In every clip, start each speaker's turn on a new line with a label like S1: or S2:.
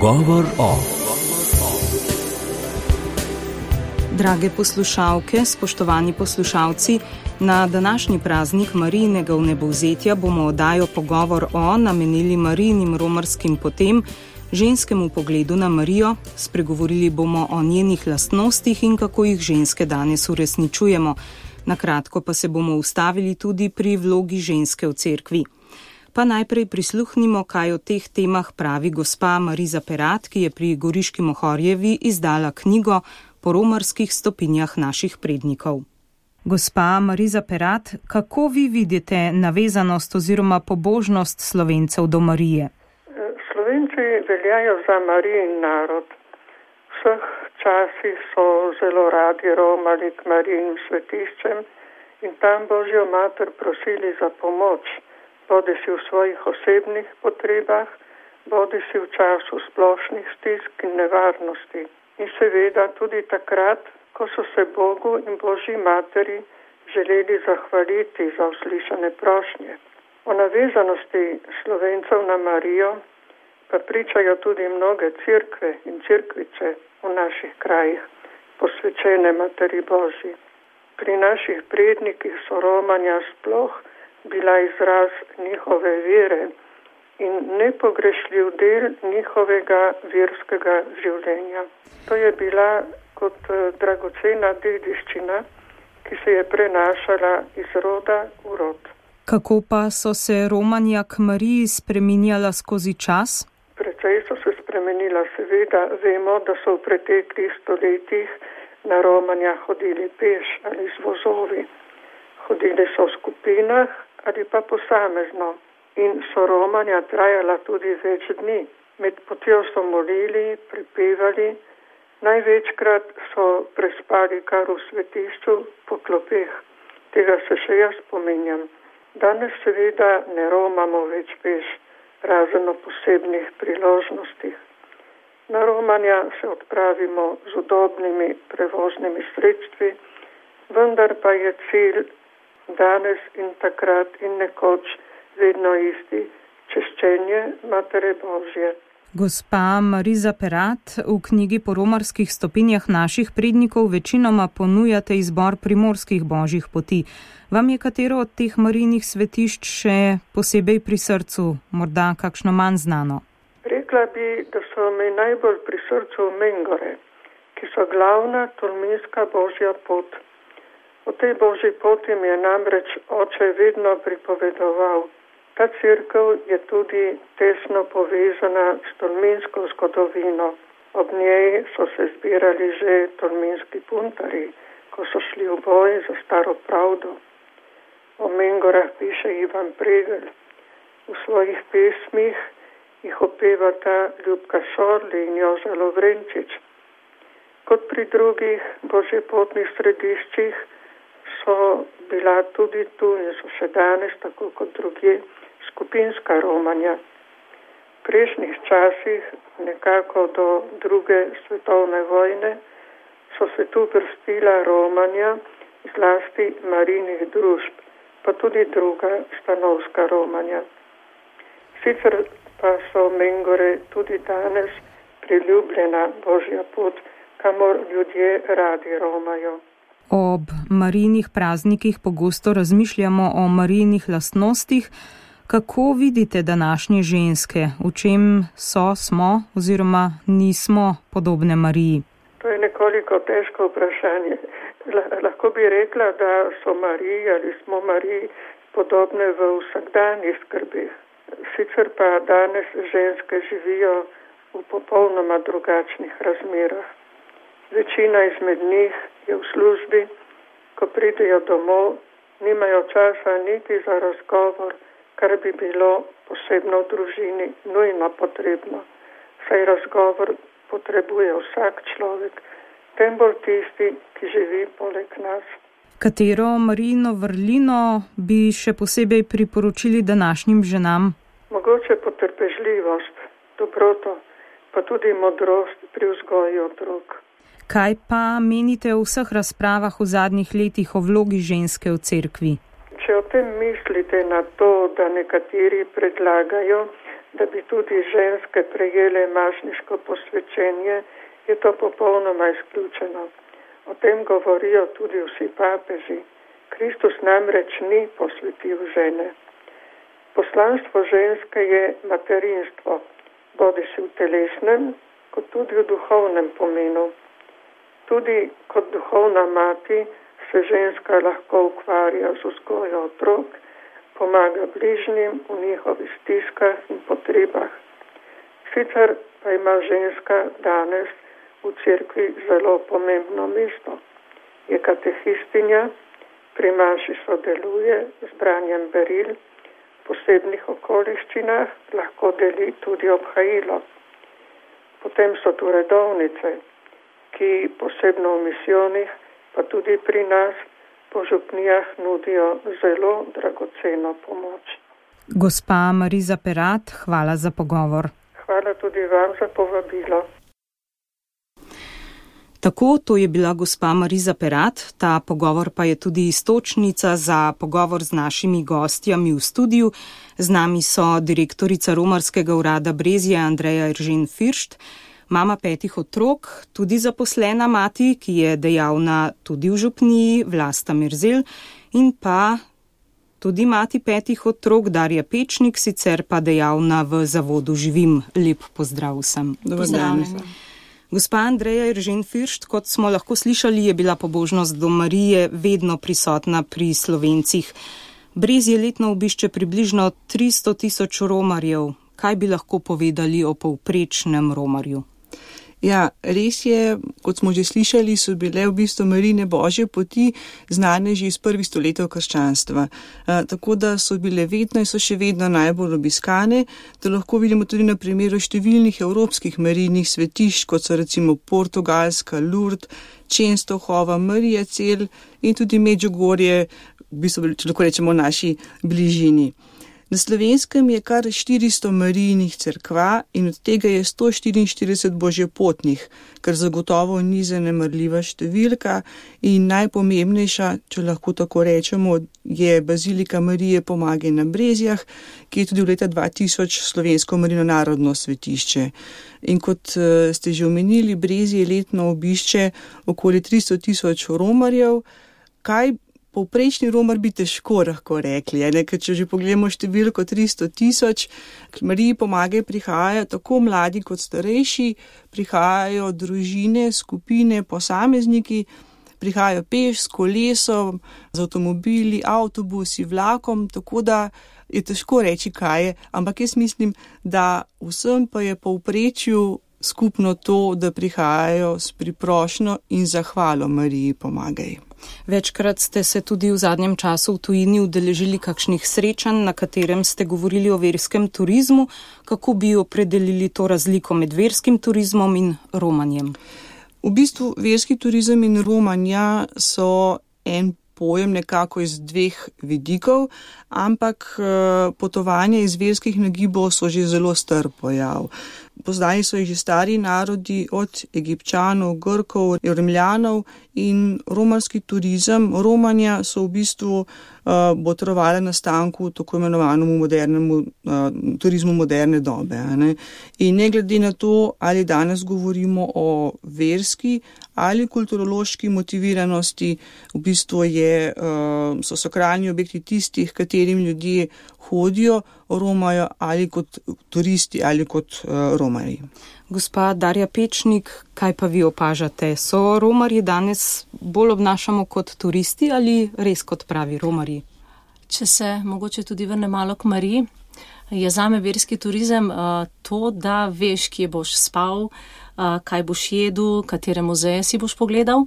S1: Pogovor o.
S2: Drage poslušalke, spoštovani poslušalci, na današnji praznik Marijinega vnebovzetja bomo oddajo Pogovor o namenili Marijinim romarskim potem, ženskemu pogledu na Marijo, spregovorili bomo o njenih lastnostih in kako jih ženske danes uresničujemo. Na kratko pa se bomo ustavili tudi pri vlogi ženske v cerkvi. Pa najprej prisluhnimo, kaj o teh temah pravi gospa Mariza Perat, ki je pri Goriški Mohorjevi izdala knjigo Po romarskih stopinjah naših prednikov. Gospa Mariza Perat, kako vi vidite navezanost oziroma pobožnost Slovencev do Marije?
S3: Slovenci veljajo za Marijin narod. V vseh časih so zelo radi romali k Marijinim svetiščem in tam Božjo mater prosili za pomoč, bodisi v svojih osebnih potrebah, bodisi v času splošnih stisk in nevarnosti. In seveda tudi takrat, ko so se Bogu in Božji materi želeli zahvaliti za uslišane prošnje. O navezanosti Slovencev na Marijo pa pričajo tudi mnoge cerkve in cerkvice v naših krajih, posvečene Materi Božji. Pri naših prednikih so romanja sploh bila izraz njihove vere in nepogrešljiv del njihovega verskega življenja. To je bila kot dragocena dediščina, ki se je prenašala iz roda v rod.
S2: Kako pa so se romanja k Mariji spreminjala skozi čas?
S3: Precej so se spremenila, seveda. Vemo, da so v preteklih stoletjih na romanja hodili peš ali z vozovi. Hodili so v skupinah ali pa posamezno. In so romanja trajala tudi več dni. Med potjo so molili, prepevali, največkrat so prespali kar v svetišču po klopeh. Tega se še jaz spominjam. Danes seveda ne romamo več peš, razen o posebnih priložnostih. Na romanja se odpravimo z udobnimi prevoznimi sredstvi, vendar pa je cilj danes in takrat in nekoč vedno isti, češčenje Matere Božje.
S2: Gospa Mariza Perat, v knjigi Po romarskih stopinjah naših prednikov večinoma ponujate izbor primorskih božjih poti. Vam je katero od teh Marijinih svetišč še posebej pri srcu, morda kakšno manj znano?
S3: Rekla bi, da so mi najbolj pri srcu Mengore, ki so glavna tolminska božja pot. O tej božji poti mi je namreč oče vedno pripovedoval. Ta cerkev je tudi tesno povezana s tolminsko zgodovino. Ob njej so se zbirali že tolminski puntarji, ko so šli v boj za staro pravdo. O Mengorah piše Ivan Pregelj. V svojih pesmih jih opevata Ljubka Šorli in Joža Lovrenčič. Kot pri drugih božjepotnih središčih so bila tudi tu in so še danes, tako kot drugje, skupinska romanja. V prejšnjih časih, nekako do druge svetovne vojne, so se tu vrstila romanja, zlasti Marijinih družb, pa tudi druga stanovska romanja. Sicer pa so Mengore tudi danes priljubljena božja pot, kamor ljudje radi romajo.
S2: Ob Marijinih praznikih pogosto razmišljamo o Marijinih lastnostih. Kako vidite današnje ženske? V čem smo oziroma nismo podobne Mariji?
S3: To je nekoliko težko vprašanje. Lahko bi rekla, da so Mariji ali smo Mariji podobne v vsakdanjih skrbeh. Sicer pa danes ženske živijo v popolnoma drugačnih razmerah. Večina izmed njih je v službi, ko pridejo domov, nimajo časa niti za razgovor, kar bi bilo posebno v družini nujno potrebno. Saj razgovor potrebuje vsak človek, tem bolj tisti, ki živi poleg nas.
S2: Katero Marijino vrlino bi še posebej priporočili današnjim ženam?
S3: Mogoče potrpežljivost, dobroto, pa tudi modrost pri vzgoji otrok.
S2: Kaj pa menite o vseh razpravah v zadnjih letih o vlogi ženske v cerkvi?
S3: Če o tem mislite na to, da nekateri predlagajo, da bi tudi ženske prejele mašniško posvečenje, je to popolnoma izključeno. O tem govorijo tudi vsi papeži. Kristus namreč ni posvetil žene. Poslanstvo ženske je materinstvo, bodisi v telesnem, kot tudi v duhovnem pomenu. Tudi kot duhovna mati se ženska lahko ukvarja z vzgojo otrok, pomaga bližnjim v njihovih stiskah in potrebah. Sicer pa ima ženska danes v cerkvi zelo pomembno mesto. Je katehistinja, pri maši sodeluje z branjem beril, v posebnih okoliščinah lahko deli tudi obhajilo. Potem so tu redovnice, ki posebno v misijonih, pa tudi pri nas po župnijah nudijo zelo dragoceno pomoč.
S2: Gospa Mariza Perat, hvala za pogovor.
S3: Hvala tudi vam za povabilo.
S2: Tako, to je bila gospa Mariza Perat, ta pogovor pa je tudi iztočnica za pogovor z našimi gostjami v studiu. Z nami so direktorica Romarskega urada Brezje Andreja Eržen Firšt, mama 5 otrok, tudi zaposlena mati, ki je dejavna tudi v župniji, Vlasta Merzel, in pa tudi mati 5 otrok, Darja Pečnik, sicer pa dejavna v zavodu Živim. Lep pozdrav vsem. Gospa Andreja Eržen Firšt, kot smo lahko slišali, je bila pobožnost do Marije vedno prisotna pri Slovencih. Brezje letno obišče približno 300 000 romarjev. Kaj bi lahko povedali o povprečnem romarju?
S1: Ja, res je, kot smo že slišali, so bile v bistvu Marijine božje poti znane že iz prvih stoletij krščanstva. Tako da so bile vedno in so še vedno najbolj obiskane. To lahko vidimo tudi na primeru številnih evropskih Marijinih svetišč, kot so recimo Portugalska, Lourdes, Čenstohova, Marija Cel in tudi Medžugorje, v bistvu, če lahko rečemo, v naši bližini. Na Slovenskem je kar 400 Marijinih cerkva in od tega je 144 božjepotnih, kar zagotovo ni zanemarljiva številka in najpomembnejša, če lahko tako rečemo, je Bazilika Marije Pomage na Brezjah, ki je tudi v leta 2000 slovensko Marijino narodno svetišče. In kot ste že omenili, Brezje letno obišče okoli 300 000 romarjev. Kaj povprečni romar bi težko lahko rekli, ker če že pogledamo številko 300 000, k Mariji Pomage prihajajo tako mladi kot starejši, prihajajo družine, skupine, posamezniki, prihajajo peš, s kolesom, z avtomobili, avtobusi, vlakom, tako da je težko reči, kaj je, ampak jaz mislim, da vsem pa je povprečju skupno to, da prihajajo s priprošnjo in zahvalo Mariji Pomagaj.
S2: Večkrat ste se tudi v zadnjem času v tujini udeležili kakšnih srečanj, na katerem ste govorili o verskem turizmu. Kako bi opredelili to razliko med verskim turizmom in romanjem?
S1: V bistvu verski turizem in romanja so en pojem nekako iz dveh vidikov, ampak potovanja iz verskih nagibov so že zelo star pojav. Poznali so jih že stari narodi, od Egipčanov, Grkov, Rimljanov, in romarski turizem, romanja so v bistvu botrovali nastanku tako imenovanemu modernemu turizmu moderne dobe. In ne glede na to, ali danes govorimo o verski ali kulturološki motiviranosti, v bistvu so sakralni objekti tistih, katerim ljudje hodijo, romajo ali kot turisti ali kot romarji.
S2: Gospa Darja Pečnik, kaj pa vi opažate? So romarji danes bolj obnašamo kot turisti ali res kot pravi romarji?
S4: Če se mogoče tudi vrne malo k Mariji, je zame verski turizem to, da veš, kje boš spal, kaj boš jedel, katere muzeje si boš pogledal,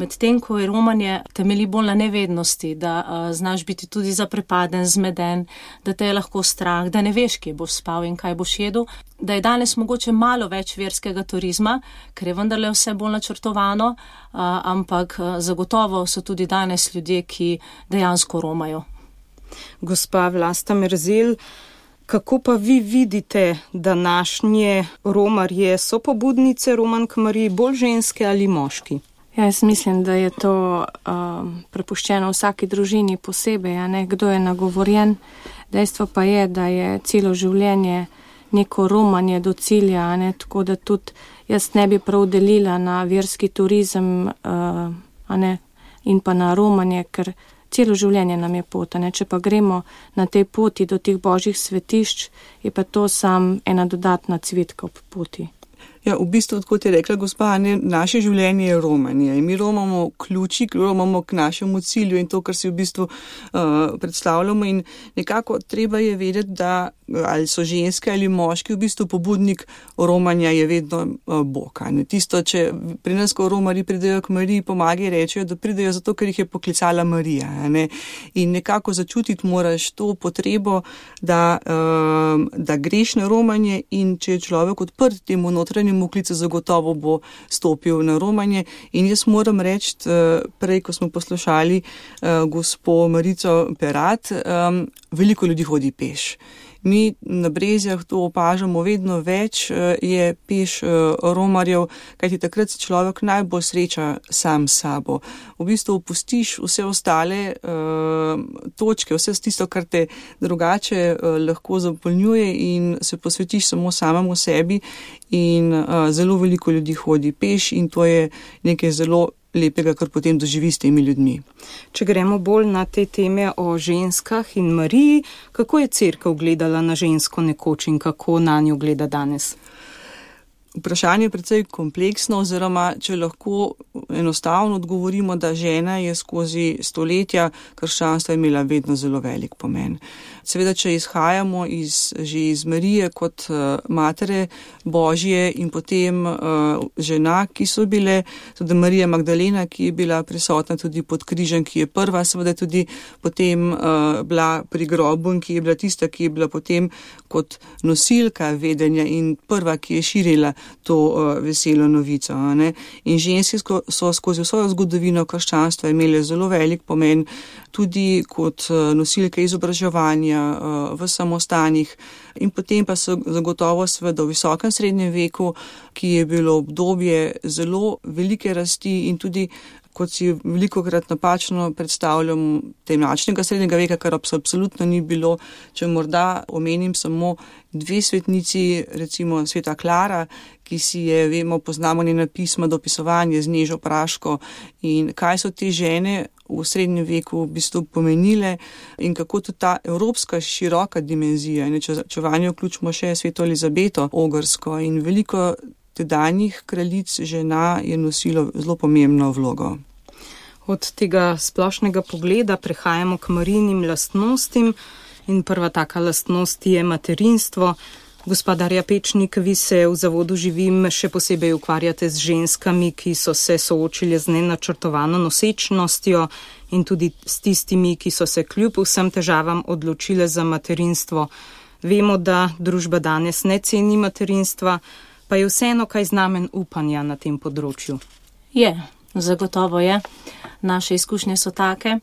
S4: medtem ko je romanje temelji bolj na nevednosti, da znaš biti tudi zaprepaden, zmeden, da te je lahko strah, da ne veš, kje boš spal in kaj boš jedel, da je danes mogoče malo več verskega turizma, ker je vendarle vse bolj načrtovano, ampak zagotovo so tudi danes ljudje, ki dejansko romajo.
S2: Gospa Vlasta Merzel, kako pa vi vidite današnje romarje? So pobudnice romank Mariji bolj ženske ali moški?
S5: Ja, jaz mislim, da je to prepuščeno vsaki družini posebej, kdo je nagovorjen. Dejstvo pa je, da je celo življenje neko romanje do cilja, ne, tako da tudi jaz ne bi prav delila na verski turizem, ne, in pa na romanje, ker celo življenje nam je pot, ne, če pa gremo na tej poti do teh božjih svetišč, je pa to sam ena dodatna cvetka ob poti.
S1: Ja, v bistvu, kot je rekla gospa, naše življenje je romanje in mi romamo ključik, romamo k našemu cilju in to, kar si v bistvu predstavljamo in nekako treba je vedeti, da ali so ženske ali moški, v bistvu pobudnik romanja je vedno Bog. Tisto, če pri nas, ko romari pridejo k Mariji, pomagi rečejo, da pridejo zato, ker jih je poklicala Marija. Ne? In nekako začutiti moraš to potrebo, da greš na romanje in če je človek odprt temu notranjemu klicu, zagotovo bo stopil na romanje. In jaz moram reči, prej, ko smo poslušali gospo Marico Perat, veliko ljudi hodi peš. Mi na Brezjah to opažamo, vedno več je peš romarjev, kajti takrat se človek najbolj sreča sam s sabo. V bistvu opustiš vse ostale točke, vse tisto, kar te drugače lahko zapolnjuje in se posvetiš samo samemu sebi in zelo veliko ljudi hodi peš in to je nekaj zelo lepega, kar potem doživi s temi ljudmi.
S2: Če gremo bolj na te teme o ženskah in Mariji, kako je cerkev gledala na žensko nekoč in kako na njo gleda danes?
S1: Vprašanje je precej kompleksno, oziroma če lahko enostavno odgovorimo, da žena je skozi stoletja krščanstva imela vedno zelo velik pomen. Seveda, če izhajamo že iz Marije kot matere Božje in potem žena, ki so bile, tudi Marija Magdalena, ki je bila prisotna tudi pod križem, ki je prva, seveda tudi potem bila pri grobu in ki je bila tista, ki je bila potem kot nosilka vedenja in prva, ki je širila to veselo novico. Ne? In ženske so skozi svojo zgodovino krščanstva imele zelo velik pomen, tudi kot nosilke izobraževanja v samostanih in potem pa so zagotovo seveda v visokem srednjem veku, ki je bilo obdobje zelo velike rasti in tudi, kot si velikokrat napačno predstavljam, temačnega srednjega veka, kar absolutno ni bilo. Če morda omenim samo dve svetnici, recimo sveta Klara, ki si je, vemo, poznamo njena pisma, dopisovanje z Nežo Praško in kaj so te žene v srednjem veku v bistvu pomenile in kako tudi ta evropska široka dimenzija. Če vanjo vključimo še sveto Elizabeto Ogrsko in veliko tedanjih kraljic žena je nosilo zelo pomembno vlogo.
S2: Od tega splošnega pogleda prehajamo k Marijinim lastnostim in prva taka lastnost je materinstvo. Gospa Darja Pečnik, vi se v Zavodu Živim še posebej ukvarjate z ženskami, ki so se soočile z nenačrtovano nosečnostjo in tudi s tistimi, ki so se kljub vsem težavam odločile za materinstvo. Vemo, da družba danes ne ceni materinstva, pa je vseeno kaj znamen upanja na tem področju.
S4: Je, zagotovo je. Naše izkušnje so take.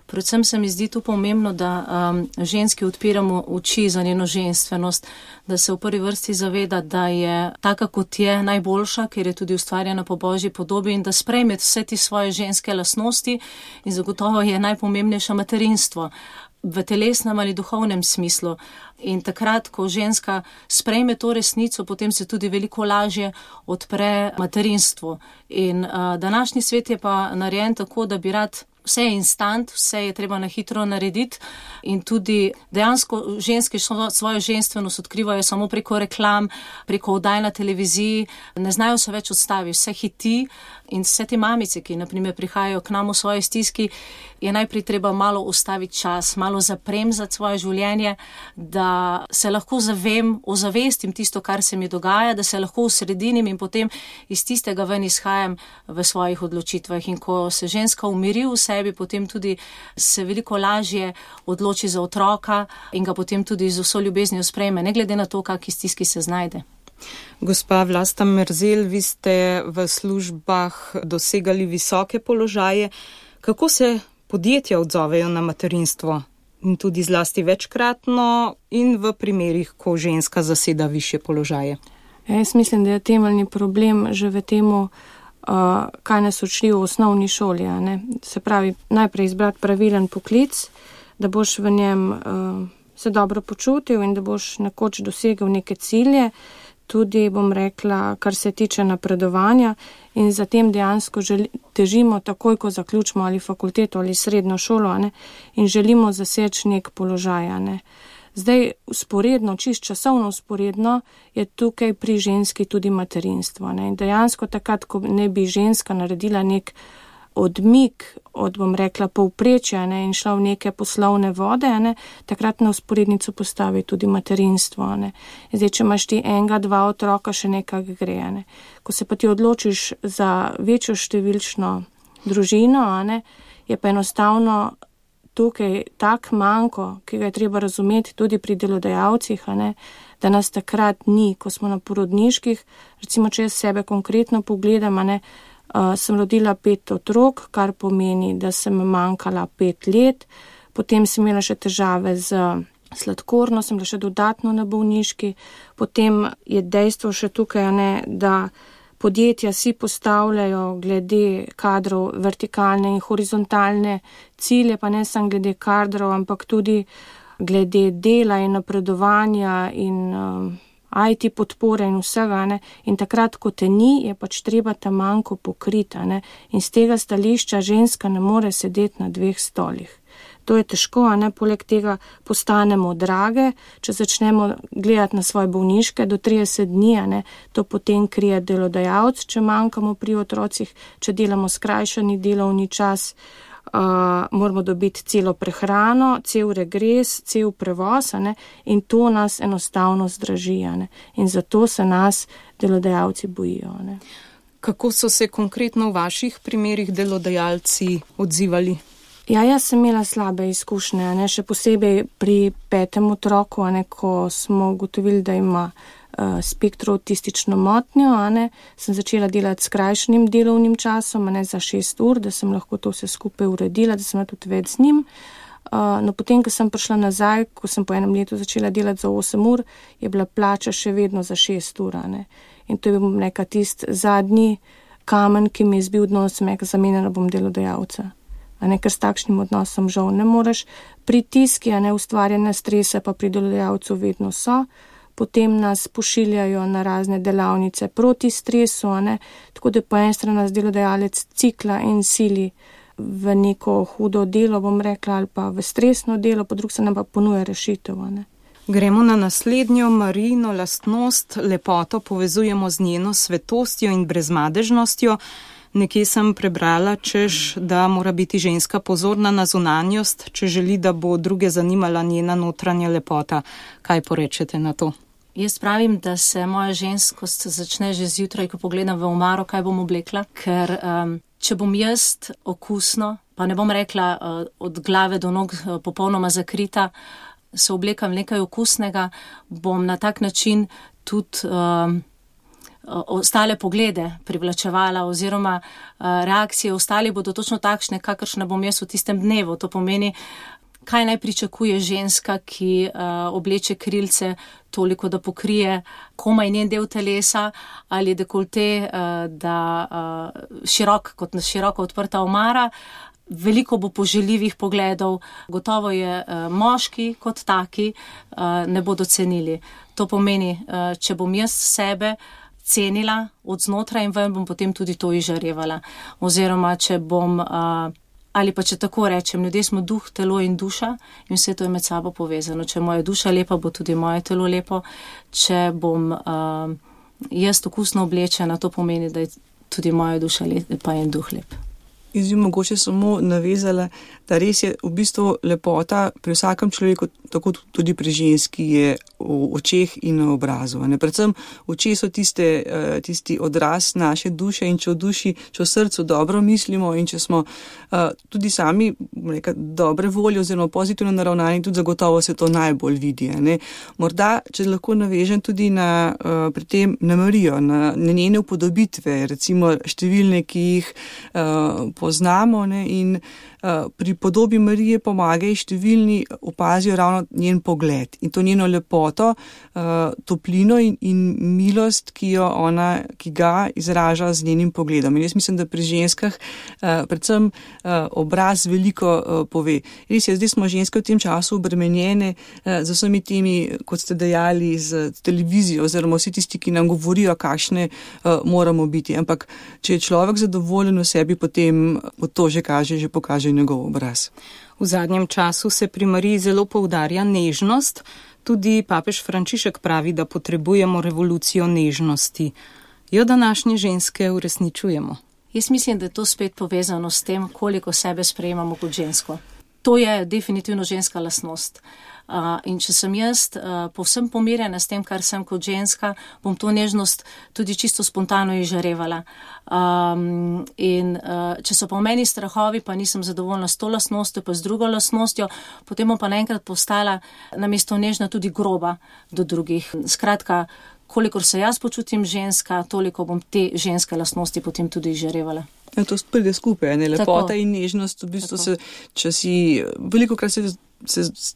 S4: Predvsem se mi zdi tu pomembno, da ženski odpiramo oči za njeno ženstvenost, da se v prvi vrsti zaveda, da je taka, kot je, najboljša, ker je tudi ustvarjena po Božji podobi in da sprejme vse te svoje ženske lastnosti in zagotovo je najpomembnejše materinstvo v telesnem ali duhovnem smislu. In takrat, ko ženska sprejme to resnico, potem se tudi veliko lažje odpre materinstvu. In današnji svet je pa narejen tako, da bi rad vse je instant, vse je treba na hitro narediti in tudi dejansko ženske svojo ženstvenost odkrivajo samo preko reklam, preko oddaj na televiziji, ne znajo se več odstaviti, vse hiti in vse te mamice, ki naprimer prihajajo k nam v svoje stiski, je najprej treba malo ustaviti čas, malo zapremzati svoje življenje, da se lahko ozavestim tisto, kar se mi dogaja, da se lahko usredinim in potem iz tistega ven izhajam v svojih odločitvah. In ko se ženska umiri v sebi, potem tudi se veliko lažje odloči za otroka in ga potem tudi z vso ljubeznijo sprejme, ne glede na to, kakšni stiski se znajde.
S2: Gospa Vlasta Merzel, vi ste v službah dosegali visoke položaje. Kako se podjetja odzovejo na materinstvo? In tudi zlasti večkratno in v primerih, ko ženska zaseda višje položaje.
S5: Jaz mislim, da je temeljni problem že v temu, kaj nas uči v osnovni šoli. Ne? Se pravi, najprej izbrati pravilen poklic, da boš v njem se dobro počutil in da boš nekoč dosegel neke cilje, tudi bom rekla, kar se tiče napredovanja in zatem dejansko težimo takoj, ko zaključimo ali fakulteto ali srednjo šolo, in želimo zaseči nek položaj, Zdaj, usporedno, čist časovno usporedno, je tukaj pri ženski tudi materinstvo, In dejansko takrat, ko ne bi ženska naredila nek odmik od, bom rekla, povprečja, in šla v neke poslovne vode, takrat na usporednico postavi tudi materinstvo, Zdaj, če imaš ti 1-2 otroka, še nekak gre, Ko se pa ti odločiš za večjo številčno družino, je pa enostavno tukaj tak manko, ki ga je treba razumeti tudi pri delodajalcih, da nas takrat ni, ko smo na porodniških, recimo, če jaz sebe konkretno pogledam, sem rodila 5 otrok, kar pomeni, da sem manjkala 5 let, potem sem imela še težave z sladkorno, sem bila še dodatno na bolniški, potem je dejstvo še tukaj, da podjetja si postavljajo glede kadrov vertikalne in horizontalne cilje, pa ne samo glede kadrov, ampak tudi glede dela in napredovanja in IT podpore in vsega, In takrat, ko te ni, je pač treba ta manko pokriti, In z tega stališča ženska ne more sedeti na 2 stolih. To je težko, Poleg tega postanemo drage, če začnemo gledati na svoje bolniške do 30 dni, to potem krije delodajalec, če manjkamo pri otrocih, če delamo skrajšani delovni čas, moramo dobiti celo prehrano, cel regres, cel prevoz, in to nas enostavno zdraži, In zato se nas delodajalci bojijo,
S2: Kako so se konkretno v vaših primerih delodajalci odzivali?
S5: Ja, jaz sem imela slabe izkušnje, še posebej pri 5. otroku, ko smo ugotovili, da ima spektroautistično motnjo, sem začela delati skrajšanim delovnim časom, za 6 ur, da sem lahko to vse skupaj uredila, da sem tudi več z njim. No, potem, ko sem prišla nazaj, ko sem po 1 letu začela delati za 8 ur, je bila plača še vedno za 6 ur, In to je bil neka tisti zadnji kamen, ki mi je zbil dno, sem rekla, zamenjala bom delodajalca. Ker s takšnim odnosom žal ne moreš. Pritiski, ustvarjene strese pa pri delodajalcu vedno so. Potem nas pošiljajo na razne delavnice proti stresu, tako da po eni strani nas delodajalec cikla in sili v neko hudo delo, bom rekla, ali pa v stresno delo, po drugi strani pa ponuja rešitev,
S2: Gremo na naslednjo Marijino lastnost. Lepoto povezujemo z njeno svetostjo in brezmadežnostjo. Nekje sem prebrala, češ, da mora biti ženska pozorna na zunanjost, če želi, da bo druge zanimala njena notranja lepota. Kaj porečete na to?
S4: Jaz pravim, da se moja ženskost začne že zjutraj, ko pogledam v omaro, kaj bom oblekla, ker če bom jaz okusno, pa ne bom rekla od glave do nog popolnoma zakrita, se oblekam nekaj okusnega, bom na tak način tudi ostale poglede privlačevala oziroma reakcije ostali bodo točno takšne, kakršne bom jaz v tistem dnevu. To pomeni, kaj naj pričakuje ženska, ki obleče krilce toliko, da pokrije komaj njen del telesa ali dekolte, da široko odprta omara. Veliko bo poželjivih pogledov, gotovo je moški kot taki ne bodo cenili. To pomeni, če bom jaz sebe cenila od znotraj in ven, bom potem tudi to izžarevala. Oziroma, če bom, ali pa če tako rečem, ljudje smo duh, telo in duša in vse to je med sabo povezano. Če je moja duša lepa, bo tudi moje telo lepo. Če bom jaz okusno oblečena, to pomeni, da je tudi moja duša lepa in duh lep.
S1: Jaz bi mogoče samo navezala, da res je v bistvu lepota pri vsakem človeku, tako tudi pri ženski, je v očeh in na obrazu. Predvsem oči so tisti odraz naše duše in če v srcu dobro mislimo in če smo tudi sami dobre volje oziroma pozitivno naravnani, tudi zagotovo se to najbolj vidi. Morda, če lahko navežem tudi pri tem na Marijo, na njene upodobitve, recimo številne, ki jih poznamo, ne, in pri podobi Marije pomagajo številni opazijo ravno njen pogled in to njeno lepoto, toplino in milost, ki ga izraža z njenim pogledom. In jaz mislim, da pri ženskah predvsem obraz veliko pove. Res je, zdaj smo ženske v tem času obremenjene z vsemi temi, kot ste dejali, z televizijo oziroma vsi tisti, ki nam govorijo, kakšne moramo biti. Ampak če je človek zadovoljen v sebi, potem to že pokaže njegov obraz.
S2: V zadnjem času se pri Mariji zelo poudarja nežnost. Tudi papež Frančišek pravi, da potrebujemo revolucijo nežnosti. Jo današnje ženske uresničujemo?
S4: Jaz mislim, da je to spet povezano s tem, koliko sebe sprejemamo kot žensko. To je definitivno ženska lastnost. In če sem jaz povsem pomirjena s tem, kar sem kot ženska, bom to nežnost tudi čisto spontano izžarevala. Če so pa v meni strahovi, pa nisem zadovoljna s to lastnostjo, pa z drugo lastnostjo, potem bom pa naenkrat postala namesto nežna tudi groba do drugih. Skratka, kolikor se jaz počutim ženska, toliko bom te ženske lastnosti potem tudi izžarevala.
S1: Ja, to pride skupaj, ne? Lepota in nežnost, v bistvu če si velikokrat se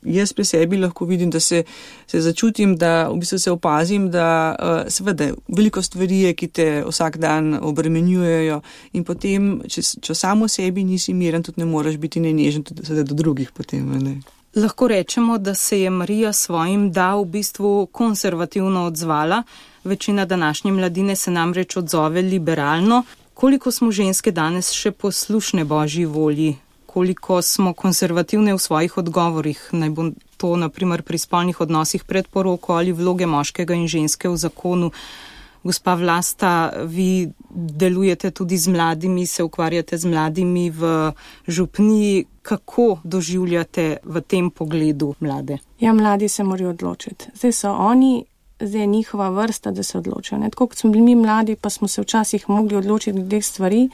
S1: jaz pri sebi lahko vidim, da se začutim, da v bistvu se opazim, da seveda veliko stvari je, ki te vsak dan obremenjujejo in potem, če samo sebi nisi miren, tudi ne moreš biti nenežen tudi do drugih potem, ne?
S2: Lahko rečemo, da se je Marija svojim da v bistvu konservativno odzvala. Večina današnje mladine se namreč odzove liberalno. Koliko smo ženske danes še poslušne Božji volji? Koliko smo konservativne v svojih odgovorih? Naj bo to naprimer pri spolnih odnosih pred poroko ali vloge moškega in ženske v zakonu. Gospa Vlasta, vi delujete tudi z mladimi, se ukvarjate z mladimi v župniji. Kako doživljate v tem pogledu mlade?
S5: Ja, mladi se morajo odločiti. Zdaj so oni, zdaj je njihova vrsta, da se odločijo. Tako kot smo bili mi mladi, pa smo se včasih mogli odločiti glede stvari,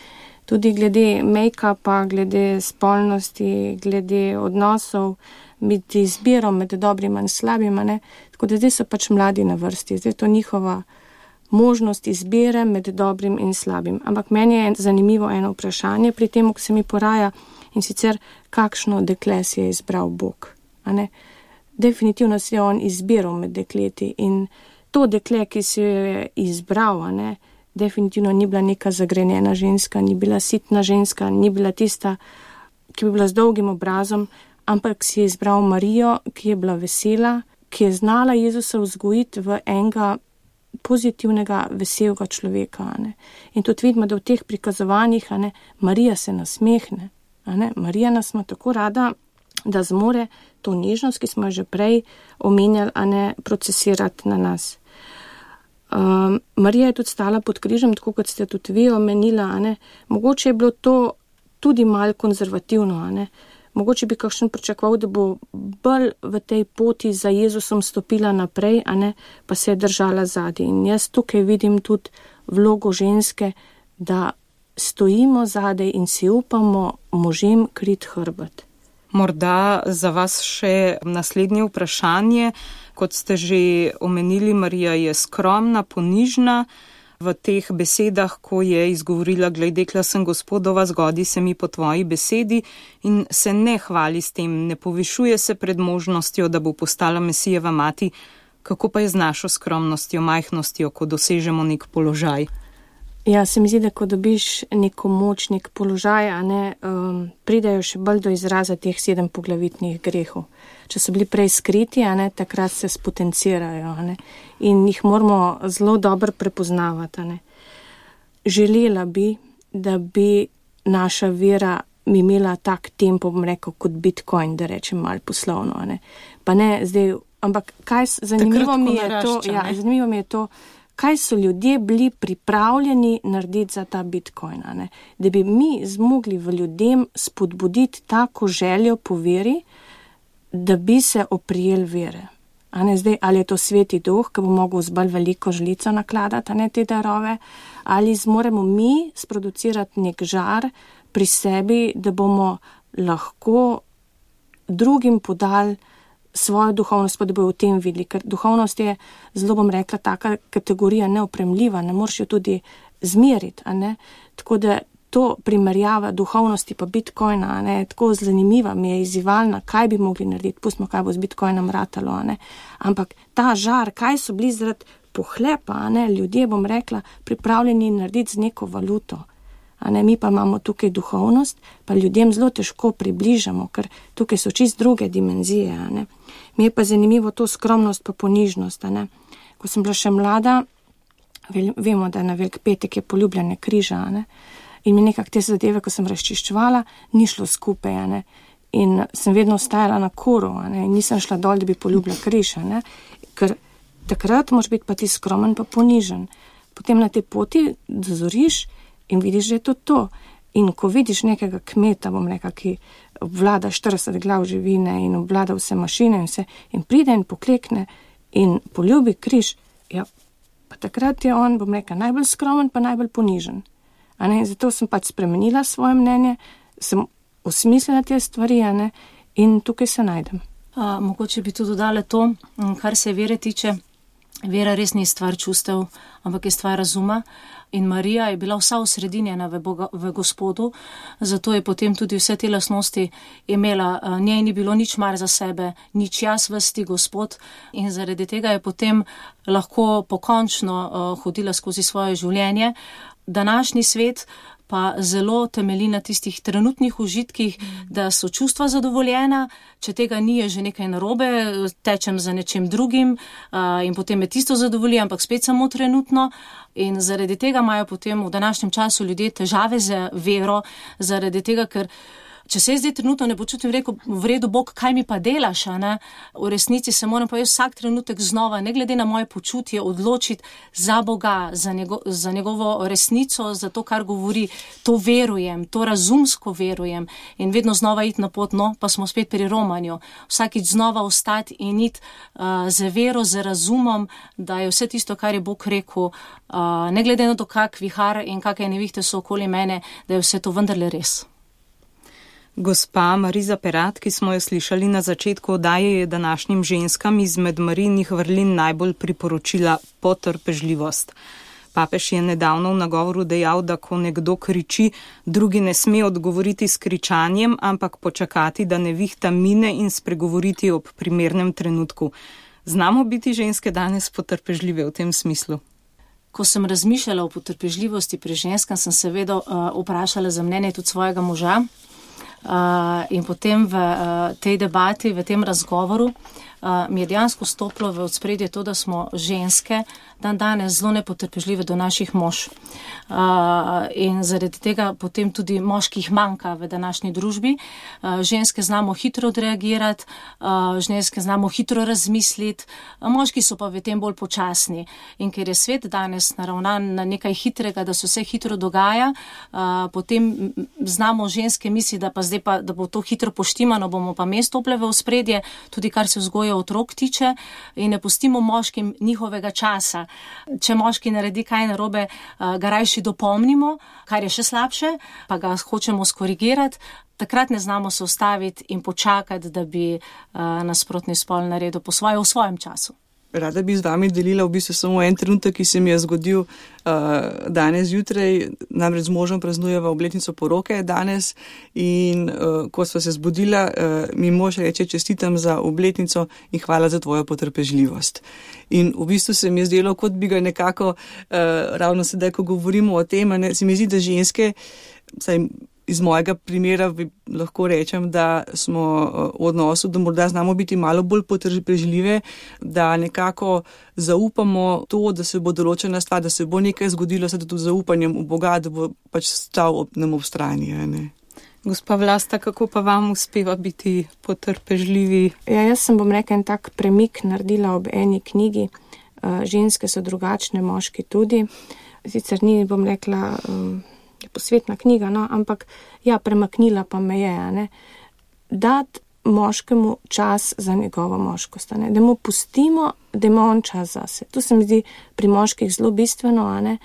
S5: tudi glede make-upa, glede spolnosti, glede odnosov, med izbiro med dobrima in slabima. Tako da zdaj so pač mladi na vrsti. Zdaj je to njihova možnost izbire med dobrim in slabim. Ampak meni je zanimivo eno vprašanje pri tem, ko se mi poraja, in sicer kakšno dekle si je izbral Bog. Definitivno si je on izbiral med dekleti in to dekle, ki si jo je izbral, definitivno ni bila neka zagrenjena ženska, ni bila sitna ženska, ni bila tista, ki bi bila z dolgim obrazom, ampak si je izbral Marijo, ki je bila vesela, ki je znala Jezusa vzgojiti v enega pozitivnega, veselega človeka. In tudi vidimo, da v teh prikazovanjih Marija se nasmehne. Marija nas ima tako rada, da zmore to nežnost, ki smo že prej omenjali, procesirati na nas. Marija je tudi stala pod križem, tako kot ste tudi vi omenila. Mogoče je bilo to tudi malo konzervativno. Mogoče bi kakšen pričakoval, da bo bolj v tej poti za Jezusom stopila naprej, pa se je držala zadaj. In jaz tukaj vidim tudi vlogo ženske, da stojimo zadaj in si upamo možem krit hrbet.
S2: Morda za vas še naslednje vprašanje. Kot ste že omenili, Marija je skromna, ponižna. V teh besedah, ko je izgovorila, glej, dekla sem Gospodova, zgodi se mi po tvoji besedi, in se ne hvali s tem, ne povišuje se pred možnostjo, da bo postala Mesijeva mati. Kako pa je z našo skromnostjo, majhnostjo, ko dosežemo nek položaj?
S5: Ja, se mi zdi, da ko dobiš neko moč, nek položaj, pridajo še bolj do izraza teh 7 poglavitnih grehov. Če so bili prej skriti, takrat se spotencirajo, in jih moramo zelo dobro prepoznavati. Želela bi, da bi naša vera imela tak tempo, bom rekel, kot Bitcoin, da rečem malo poslovno. Pa ne zdaj, ampak zanimivo mi je to, kaj so ljudje bili pripravljeni narediti za ta Bitcoin, da bi mi zmogli v ljudem spodbuditi tako željo po veri, da bi se oprijeli vere. Zdaj, ali je to Sveti Duh, ki bo mogel z bolj veliko žlico nakladati, te darove, ali zmoremo mi sproducirati nek žar pri sebi, da bomo lahko drugim podali svojo duhovnost, pa da bojo v tem videli, ker duhovnost je zelo, bom rekla, taka kategorija neopremljiva, ne moreš jo tudi zmeriti, Tako da to primerjava duhovnosti pa Bitcoina, ne, tako zanimiva mi je, izzivalna, kaj bi mogli narediti, pustimo, kaj bo z Bitcoinom ratalo, ne, ampak ta žar, kaj so bili zaradi pohlepa, ne, ljudje, bom rekla, pripravljeni narediti z neko valuto, ne, mi pa imamo tukaj duhovnost, pa ljudem zelo težko približamo, ker tukaj so čist druge dimenzije, ne. Mi je pa zanimivo to skromnost pa ponižnost, ne. Ko sem bila še mlada, vemo, da na Velik petek je poljubljanje križa, ne, in mi nekak te zadeve, ko sem razčiščevala, ni šlo skupaj, ne, in sem vedno ostajala na koru, ne, in nisem šla dol, da bi poljubila križ, ne, ker takrat moraš biti pa ti skromen pa ponižen. Potem na tej poti dozoriš in vidiš, da je to. In ko vidiš nekega kmeta, bom rekla, ki obvlada 40 glav živine in obvlada vse mašine in vse, in pride in poklekne in poljubi križ, ja, pa takrat je on, bom rekla, najbolj skromen pa najbolj ponižen. A ne, zato sem pač spremenila svoje mnenje, sem osmislila te stvari, a ne, in tukaj se najdem.
S4: Mogoče bi tudi dodala to, kar se vere tiče. Vera res ni stvar čustev, ampak je stvar razuma. In Marija je bila vsa osredinjena v Gospodu, zato je potem tudi vse te lastnosti imela. Njej ni bilo nič mar za sebe, nič jaz vesti Gospod, in zaradi tega je potem lahko pokončno hodila skozi svoje življenje. Današnji svet pa zelo temelji na tistih trenutnih užitkih, da so čustva zadovoljena, če tega ni, je že nekaj narobe, tečem za nečem drugim in potem me tisto zadovolji, ampak spet samo trenutno. In zaradi tega imajo potem v današnjem času ljudje težave z vero, zaradi tega, ker če se zdaj trenutno ne počutim, rekel, v redu, Bog, kaj mi pa delaš, a ne? V resnici se moram pa jaz vsak trenutek znova, ne glede na moje počutje, odločiti za Boga, za njegovo resnico, za to, kar govori. To verujem, to razumsko verujem in vedno znova iti na pot, no, pa smo spet pri romanju. Vsakič znova ostati in iti z vero, z razumom, da je vse tisto, kar je Bog rekel, ne glede na to, kak vihar in kakšne nevihte so okoli mene, da je vse to vendarle res.
S2: Gospa Mariza Perat, ki smo jo slišali na začetku oddaje, je današnjim ženskam izmed Marijinih vrlin najbolj priporočila potrpežljivost. Papež je nedavno v nagovoru dejal, da ko nekdo kriči, drugi ne sme odgovoriti s kričanjem, ampak počakati, da nevihta mine in spregovoriti ob primernem trenutku. Znamo biti ženske danes potrpežljive v tem smislu?
S4: Ko sem razmišljala o potrpežljivosti pri ženskam, sem seveda vprašala za mnenje tudi svojega moža. In potem v tej debati, v tem razgovoru mi je dejansko stopilo v ospredje to, da smo ženske danes zelo nepotrpežljive do naših mož. In zaradi tega potem tudi moških manjka v današnji družbi. Ženske znamo hitro odreagirati, ženske znamo hitro razmisliti, moški so pa v tem bolj počasni. In ker je svet danes naravnan na nekaj hitrega, da se vse hitro dogaja, potem znamo ženske misliti, da pa zdaj pa, da bo to hitro poštimano, bomo pa mi stopile v ospredje, tudi kar se vzgoje otrok tiče, in ne pustimo moškim njihovega časa. Če moški naredi kaj narobe, ga rajši dopomnimo, kar je še slabše, pa ga hočemo skorigirati, takrat ne znamo se ustaviti in počakati, da bi nasprotni spol naredil po svoje v svojem času.
S1: Rada bi z vami delila v bistvu samo en trenutek, ki se mi je zgodil danes zjutraj, namreč z možem praznujeva obletnico poroke danes in ko sva se zbudila, mi mož reče, čestitam za obletnico in hvala za tvojo potrpežljivost. In v bistvu se mi je zdelo, kot bi ga nekako, ravno sedaj, ko govorimo o tem, se mi zdi, da ženske, saj iz mojega primera lahko rečem, da smo v odnosu, da morda znamo biti malo bolj potrpežljive, da nekako zaupamo to, da se bo določena stvar, da se bo nekaj zgodilo, se tudi zaupanjem v Boga, da bo pač stal nam ob strani. Ne?
S2: Gospa Vlasta, kako pa vam uspeva biti potrpežljivi?
S5: Ja, jaz sem, bom rekla, en tak premik naredila ob eni knjigi. Ženske so drugačne, moški tudi. Sicer ni, bom rekla, posvetna knjiga, no, ampak ja, premaknila pa me je, ne, dati moškemu čas za njegovo moškost, ne, da mu pustimo, da ima on čas zase. Tu se mi zdi pri moških zelo bistveno, ne,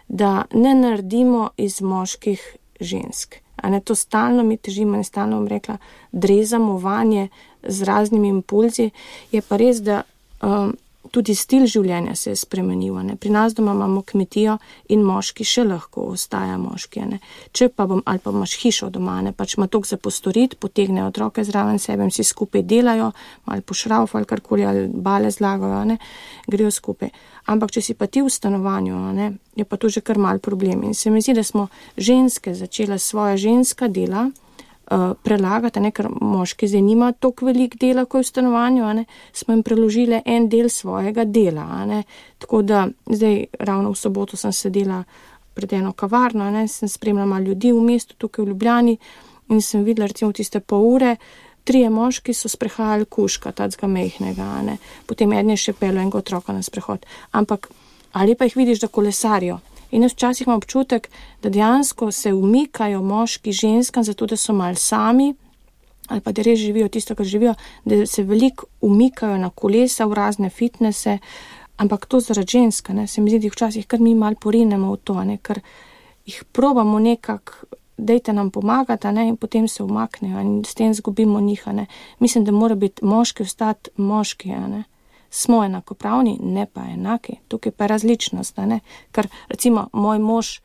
S5: da ne naredimo iz moških žensk. Ne, to stalno mi težimo, ne stalno bom rekla, drezamo vanje z raznimi impulzi. Je pa res, da tudi stil življenja se je spremenil. Pri nas doma imamo kmetijo in moški še lahko ostaja moški. Če pa ali pa imaš hišo doma, pač ima toliko za postoriti, potegnejo otroke zraven sebe in vsi skupaj delajo, ali pošrauf ali karkoli, ali bale zlagajo, grejo skupaj. Ampak če si pa ti v stanovanju, je pa to že kar mal problem. In se mi zdi, da smo ženske začela svoja ženska dela prelagati, ker moški zdaj nima toliko velik dela, ko je v stanovanju, smo jim preložili en del svojega dela. Tako da zdaj ravno v soboto sem sedela pred eno kavarno, sem spremljala malo ljudi v mestu, tukaj v Ljubljani in sem videla recimo tiste pol ure, 3 moški so sprehajali kužka, tacga mejhnega, potem eden je še pelil enega otroka na sprehod. Ampak ali pa jih vidiš, da kolesarijo. In jaz včasih imam občutek, da dejansko se umikajo moški ženskam, zato da so mal sami, ali pa da res živijo tisto, kar živijo, da se veliko umikajo na kolesa v razne fitnese, ampak to zaradi ženska, se mi zdi, da včasih kar mi mal porinemo v to, ker jih probamo nekako, dejte nam pomagati, in potem se umaknejo in s tem zgubimo njih. Mislim, da mora biti moški ostati moški, Smo enakopravni, ne pa enaki. Tukaj pa je različnost, Ker recimo moj mož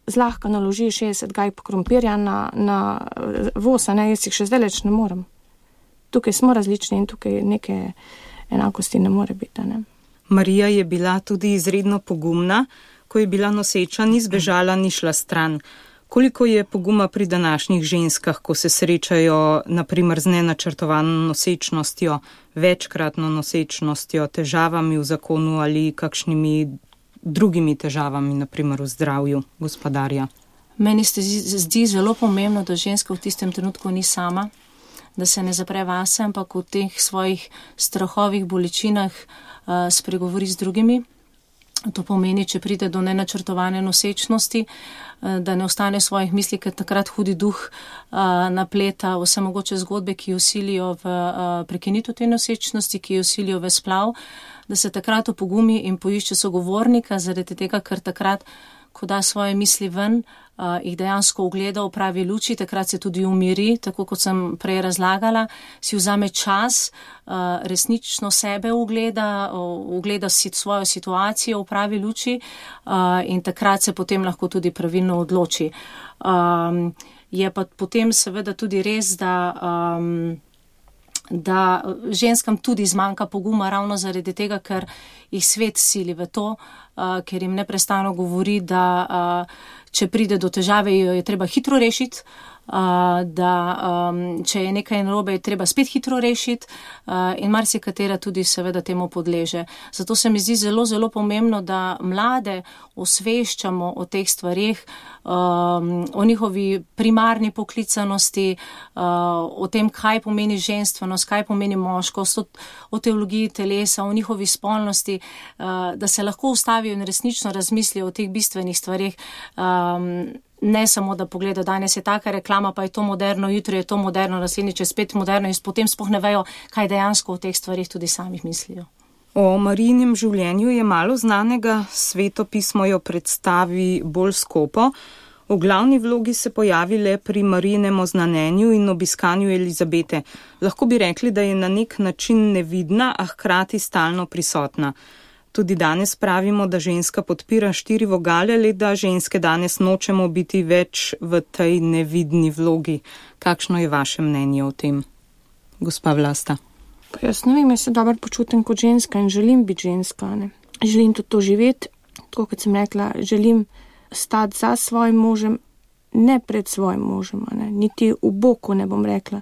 S5: zlahka naloži 60 gajb krompirja na voz, jaz jih še zdaj ne morem. Tukaj smo različni in tukaj neke enakosti ne more biti,
S2: Marija je bila tudi izredno pogumna, ko je bila noseča, ni zbežala, ni šla stran. Koliko je poguma pri današnjih ženskah, ko se srečajo naprimer z nenačrtovano nosečnostjo, večkratno nosečnostjo, težavami v zakonu ali kakšnimi drugimi težavami, naprimer v zdravju gospodarja?
S4: Meni se zdi zelo pomembno, da ženska v tistem trenutku ni sama, da se ne zapre vase, ampak v teh svojih strahovih bolečinah spregovori z drugimi. To pomeni, če pride do nenačrtovane nosečnosti, da ne ostane v svojih mislih, ker takrat hudi duh napleta vse mogoče zgodbe, ki jo silijo v prekinitev te nosečnosti, ki jo silijo v splav, da se takrat opogumi in poišče sogovornika, zaradi tega, ker takrat, ko da svoje misli ven, jih dejansko ugleda v pravi luči, takrat se tudi umiri, tako kot sem prej razlagala, si vzame čas, resnično sebe ugleda si svojo situacijo v pravi luči in takrat se potem lahko tudi pravilno odloči. Je pa potem seveda tudi res, da ženskam tudi zmanjka poguma ravno zaradi tega, ker jih svet sili v to, ker jim neprestano govori, da če pride do težave, jo je treba hitro rešiti, da če je nekaj narobe, je treba spet hitro rešiti in marsikatera tudi seveda temu podleže. Zato se mi zdi zelo, zelo pomembno, da mlade osveščamo o teh stvarih, o njihovi primarni poklicanosti, o tem, kaj pomeni ženstvenost, kaj pomeni moškost, o teologiji telesa, o njihovi spolnosti, da se lahko ustavijo in resnično razmislijo o teh bistvenih stvarih. Ne samo, da pogleda, danes je taka reklama, pa je to moderno, jutri je to moderno, naslednjič je spet moderno in potem sploh ne vejo, kaj dejansko o teh stvarih tudi samih mislijo.
S2: O Marijinem življenju je malo znanega, Sveto pismo jo predstavi bolj skopo. V glavni vlogi se pojavi le pri Marijinem oznanjenju in obiskanju Elizabete. Lahko bi rekli, da je na nek način nevidna, a hkrati stalno prisotna. Tudi danes pravimo, da ženska podpira 4 vogale, le da ženske danes nočemo biti več v tej nevidni vlogi. Kakšno je vaše mnenje o tem, gospa Vlasta?
S5: Pa jaz ne vem, jaz se dobro počutim kot ženska in želim biti ženska. Želim tudi to živeti, tako kot sem rekla, želim stati za svojim možem, ne pred svojim možem, niti v boku ne bom rekla.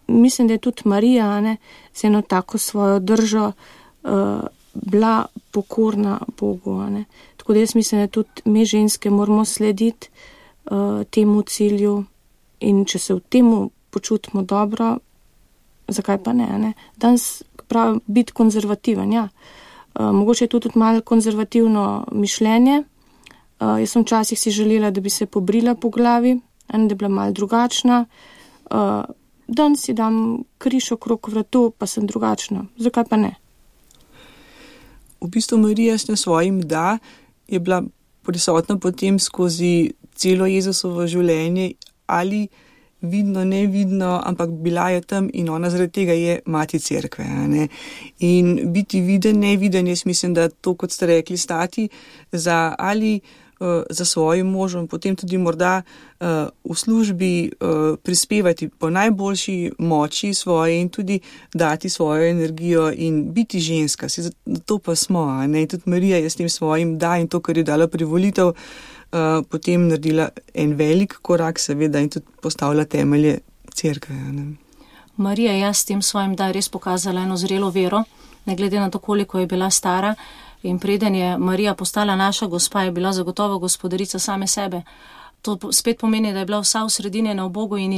S5: Mislim, da je tudi Marija z eno tako svojo držo bila pokorna Bogu. Tako da jaz mislim, da tudi mi ženske moramo slediti temu cilju in če se v temu počutimo dobro, zakaj pa ne? Danes pravi biti konzervativen, ja. Mogoče je tudi malo konzervativno mišljenje. Jaz sem včasih si želela, da bi se pobrila po glavi, da bi bila malo drugačna. Danes si dam križ okrog vratu, pa sem drugačna. Zakaj pa ne?
S1: V bistvu Marija s svojim je bila prisotna potem skozi celo Jezusovo življenje, ali vidno, nevidno, ampak bila je tam in ona zaradi tega je mati cerkve. In biti viden, neviden, jaz mislim, da to, kot ste rekli, stati za svojim možem, potem tudi morda v službi prispevati po najboljši moči svoje in tudi dati svojo energijo in biti ženska. To pa smo. Tudi Marija je s tem svojim da in to, kar je dala privolitev, potem naredila en velik korak, seveda, in tudi postavila temelje cerkve.
S4: Marija je s tem svojim da res pokazala eno zrelo vero, ne glede na to, koliko je bila stara. In preden je Marija postala naša gospa, je bila zagotovo gospodarica same sebe. To spet pomeni, da je bila vsa v sredini na Bogu in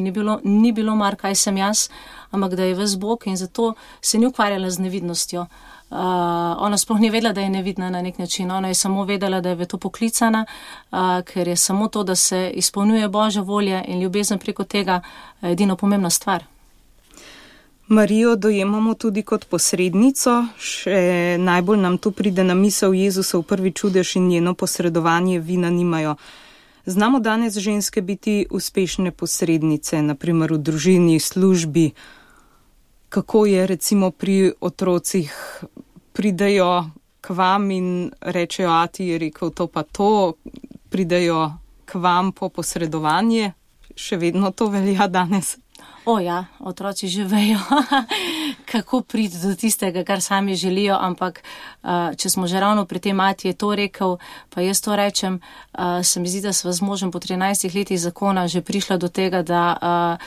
S4: ni bilo mar, kaj sem jaz, ampak da je ves Bog in zato se ni ukvarjala z nevidnostjo. Ona sploh ni vedela, da je nevidna na nek način. Ona je samo vedela, da je v to poklicana, ker je samo to, da se izpolnjuje Božja volja in ljubezen preko tega edino pomembna stvar.
S2: Marijo dojemamo tudi kot posrednico, še najbolj nam tu pride na misel Jezusov prvi čudež in njeno posredovanje vina nimajo. Znamo danes ženske biti uspešne posrednice, naprimer v družini, službi. Kako je recimo pri otrocih, pridejo k vam in rečejo, ati je rekel to pa to, pridejo k vam po posredovanje, še vedno to velja danes?
S4: Ja, otroci že vejo, kako priti do tistega, kar sami želijo, ampak če smo že ravno pri tem, ati je to rekel, pa jaz to rečem, se mi zdi, da sva z možem po 13 letih zakona že prišla do tega, da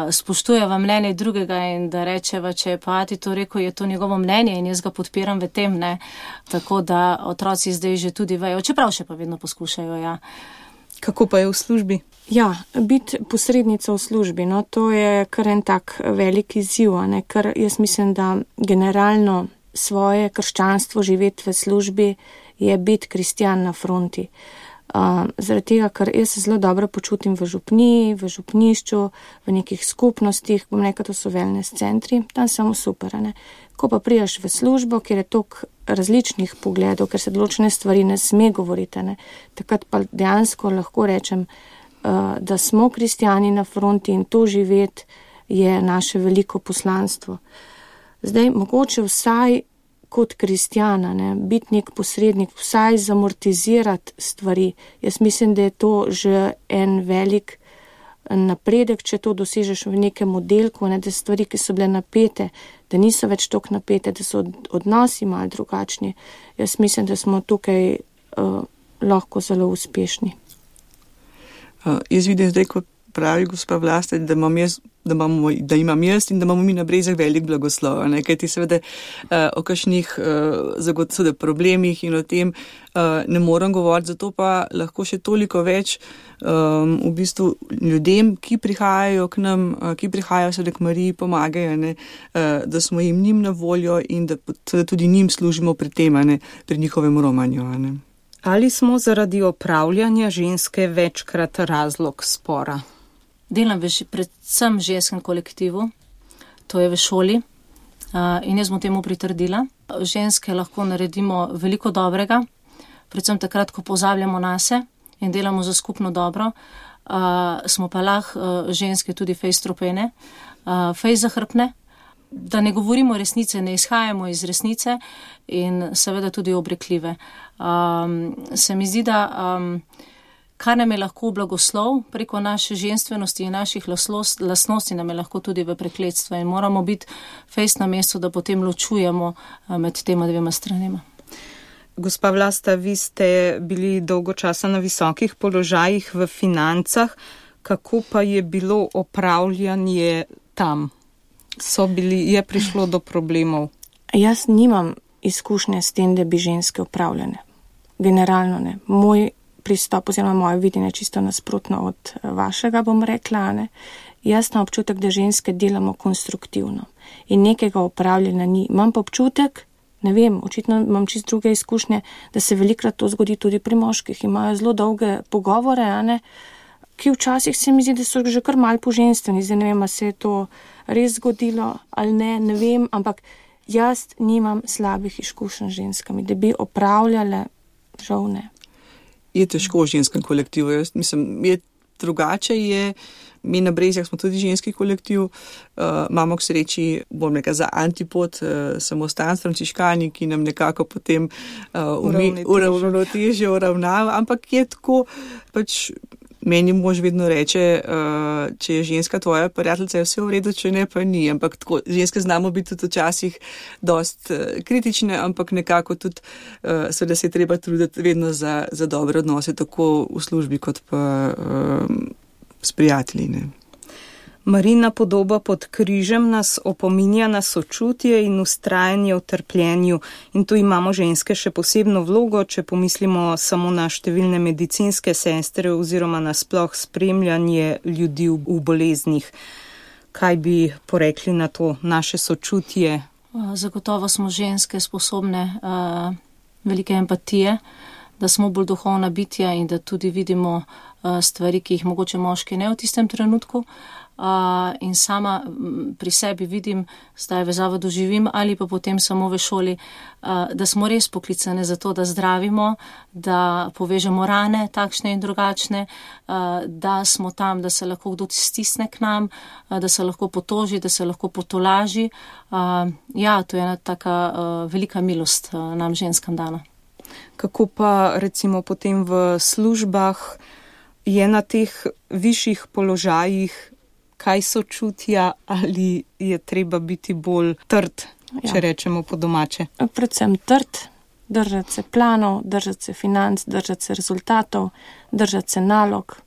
S4: spoštujeva mnenje drugega in da rečeva, če je pa ati to rekel, je to njegovo mnenje in jaz ga podpiram v tem, ne. Tako da otroci zdaj že tudi vejo, čeprav še pa vedno poskušajo, ja.
S2: Kako pa je v službi?
S5: Ja, biti posrednica v službi, no, to je kar en tak velik izziv, ne, ker jaz mislim, da generalno svoje krščanstvo živeti v službi je biti kristjan na fronti. Zaradi tega, ker jaz se zelo dobro počutim v župniji, v župnišču, v nekih skupnostih, bom rekel, to so wellness centri, tam samo super, ne. Ko pa prijaš v službo, kjer je toliko različnih pogledov, ker se določene stvari ne sme govoriti, ne, takrat pa dejansko lahko rečem, da smo kristjani na fronti in to živeti je naše veliko poslanstvo. Zdaj, mogoče vsaj kot kristjana, ne, biti nek posrednik, vsaj zamortizirati stvari. Jaz mislim, da je to že en velik napredek, če to dosežeš v nekem oddelku, ne, da stvari, ki so bile napete, da niso več toliko napete, da so odnosi malo drugačni. Jaz mislim, da smo tukaj lahko zelo uspešni.
S1: Jaz vidim zdaj, kot pravi gospa Vlasta, da imam jaz in da imamo mi na Brezjah velik blagoslov, ne, kajti seveda o kakšnih problemih in o tem ne morem govoriti, zato pa lahko še toliko več v bistvu ljudem, ki prihajajo k nam, ki prihajajo seveda k Mariji, pomagajo, ne, da smo njim na voljo in da tudi njim služimo pri tem, ne, pri njihovem romanju. Ne.
S2: Ali smo zaradi opravljanja ženske večkrat razlog spora?
S4: Delam predvsem v ženskem kolektivu, to je v šoli in jaz bom temu pritrdila. Ženske lahko naredimo veliko dobrega, predvsem takrat, ko pozabljamo nase in delamo za skupno dobro. Smo pa lahko ženske tudi fejst strupene, fejst zahrbne, da ne govorimo resnice, ne izhajamo iz resnice in seveda tudi obrekljive. Se mi zdi, da kar nam je lahko blagoslov preko naše ženstvenosti in naših lastnosti, nam je lahko tudi v prekletstvo in moramo biti fejst na mestu, da potem ločujemo med tema dvema stranima.
S2: Gospa Vlasta, vi ste bili dolgo časa na visokih položajih v financah. Kako pa je bilo opravljanje tam? Je prišlo do problemov?
S5: Jaz nimam izkušnje s tem, da bi ženske upravljane. Generalno ne. Moj pristop oziroma moje videnje čisto nasprotno od vašega, bom rekla, ne. Jaz imam občutek, da ženske delamo konstruktivno in nekega upravljanja ni. Imam pa občutek, ne vem, očitno imam čisto druge izkušnje, da se velikrat to zgodi tudi pri moških. Imajo zelo dolge pogovore, ne, ki včasih se mi zdi, da so že kar malo poženstveni. Zdaj ne vem, a se je to res zgodilo ali ne vem, ampak jaz nimam slabih izkušenj z ženskami, da bi opravljale, žal ne.
S1: Je težko v ženskem kolektivu. Jaz mislim, je drugače je, mi na Brezjah smo tudi ženski kolektiv, imamo k sreči, bom nekaj za antipod, samostan frančiškani, ki nam nekako potem uravnotežje uravnava, ampak je tako, pač meni mož vedno reče, če je ženska tvoja prijateljica, je vse v redu, če ne, pa ni, ampak tako, ženske znamo biti tudi včasih dost kritične, ampak nekako tudi seveda se je treba truditi vedno za dobre odnose, tako v službi kot pa s prijatelji, ne.
S2: Marina podoba pod križem nas opominja na sočutje in ustrajanje v trpljenju. In tu imamo ženske še posebno vlogo, če pomislimo samo na številne medicinske sestre oziroma na sploh spremljanje ljudi v boleznih. Kaj bi porekli na to naše sočutje?
S4: Zagotovo smo ženske sposobne velike empatije, da smo bolj duhovna bitja in da tudi vidimo stvari, ki jih mogoče moški ne v tistem trenutku. In sama pri sebi vidim, zdaj v zavodu živim ali pa potem samo v šoli, da smo res poklicane za to, da zdravimo, da povežemo rane takšne in drugačne, da smo tam, da se lahko kdo stisne k nam, da se lahko potoži, da se lahko potolaži. Ja, to je ena taka velika milost nam ženskam dana.
S2: Kako pa recimo potem v službah je na teh višjih položajih, kaj sočutja ali je treba biti bolj trd, če rečemo po domače?
S5: Predvsem trd, držati se planov, držati se financ, držati se rezultatov, držati se nalog,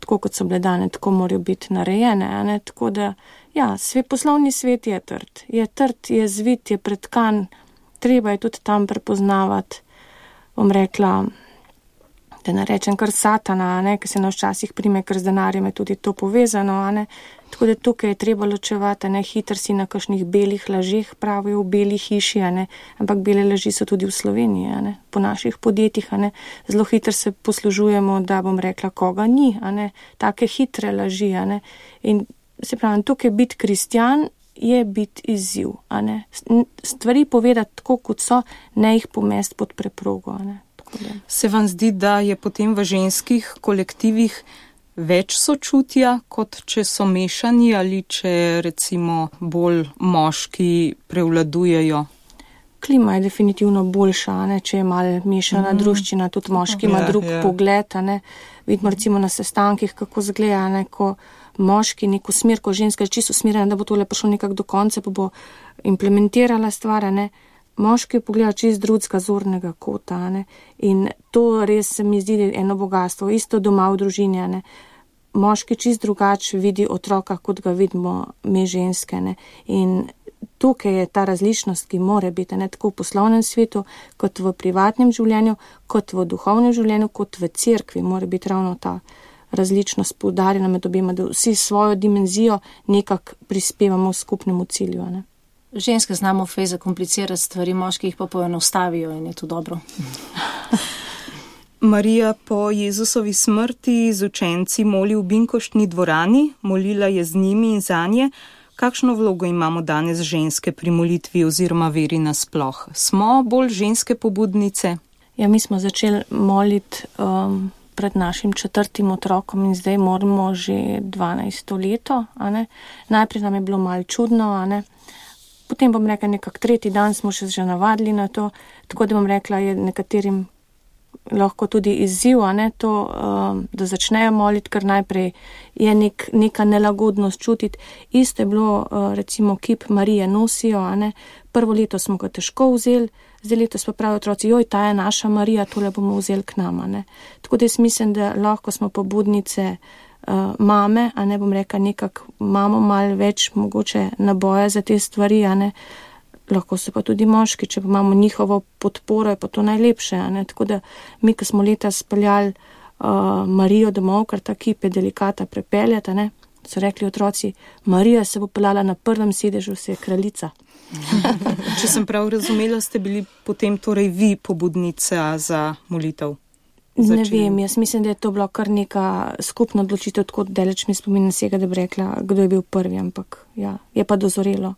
S5: tako kot so bile dane, tako morajo biti narejene, a ne? Tako da, ja, poslovni svet je trd, je zvit, je pretkan, treba je tudi tam prepoznavati, bom rekla, da ne rečem kar satana, ne, ki se nas včasih prime, ker z denarjem je tudi to povezano, a ne. Tako da tukaj je treba ločevati, ne, hitro si na kakšnih belih lažeh, pravijo v beli hiši, a ne, ampak bele laži so tudi v Sloveniji, a ne, po naših podjetjih, a ne, zelo hitro se poslužujemo, da bom rekla, koga ni, a ne, take hitre laži, a ne, in se pravi, tukaj biti kristjan je biti izziv, a ne, stvari povedati tako, kot so, ne jih pomesti pod preprogo, a ne.
S2: Se vam zdi, da je potem v ženskih kolektivih več sočutja, kot če so mešani ali če recimo bolj moški prevladujejo?
S5: Klima je definitivno boljša, ne? Če je malo mešana druščina, tudi moški ima drug pogled, ne? Vidimo recimo na sestankih, kako zgleda, ne? Ko moški neko smer, ko ženska je čisto usmerjena, da bo tole prišlo nekako do konca, pa bo implementirala stvar, ne? Moški pogleda čist drugega zornega kota, ne? In to res se mi zdi eno bogatstvo, isto doma v družini, ne? Moški čist drugače vidi otroka, kot ga vidimo mi ženske, ne? In tukaj je ta različnost, ki mora biti, ne? Tako v poslovnem svetu, kot v privatnem življenju, kot v duhovnem življenju, kot v cerkvi mora biti ravno ta različnost poudarjena med obema, da vsi svojo dimenzijo nekako prispevamo v skupnemu cilju, ne?
S4: Ženske znamo fej zakomplicirati stvari, moški jih pa poenostavijo in je to dobro.
S2: Marija po Jezusovi smrti z učenci moli v Binkoštni dvorani, molila je z njimi in zanje. Kakšno vlogo imamo danes ženske pri molitvi oziroma veri nasploh? Smo bolj ženske pobudnice?
S5: Ja, mi smo začeli moliti pred našim 4. otrokom in zdaj moramo že 12. leto, a ne? Najprej nam je bilo malo čudno, a ne? Potem bom rekla, nekak 3. dan smo še navadili na to, tako da bom rekla, je nekaterim lahko tudi izziv, a ne, to, da začnejo moliti, ker najprej je neka nelagodnost čutiti. Isto je bilo, recimo, kip Marije nosijo, a ne, prvo leto smo ga težko vzeli, zdaj letos pa pravijo otroci, joj, ta je naša Marija, tole bomo vzeli k nama, ne. Tako da jaz mislim, da lahko smo pobudnice mame, a ne, bom rekla, nekako imamo malo več mogoče naboja za te stvari, a ne, lahko so pa tudi moški, če pa imamo njihovo podporo, je pa to najlepše, a ne, tako da mi, ko smo leta speljali Marijo domov, ker ta kip je delikata prepeljati, a ne, so rekli otroci, Marija se bo peljala na prvem sedežu, se je kraljica.
S2: Če sem prav razumela, ste bili potem torej vi pobudnica za molitev?
S5: Ne vem, jaz mislim, da je to bilo kar neka skupna odločitev, tako daleč mi spomin vsega, da bi rekla, kdo je bil prvi, ampak ja, je pa dozorelo.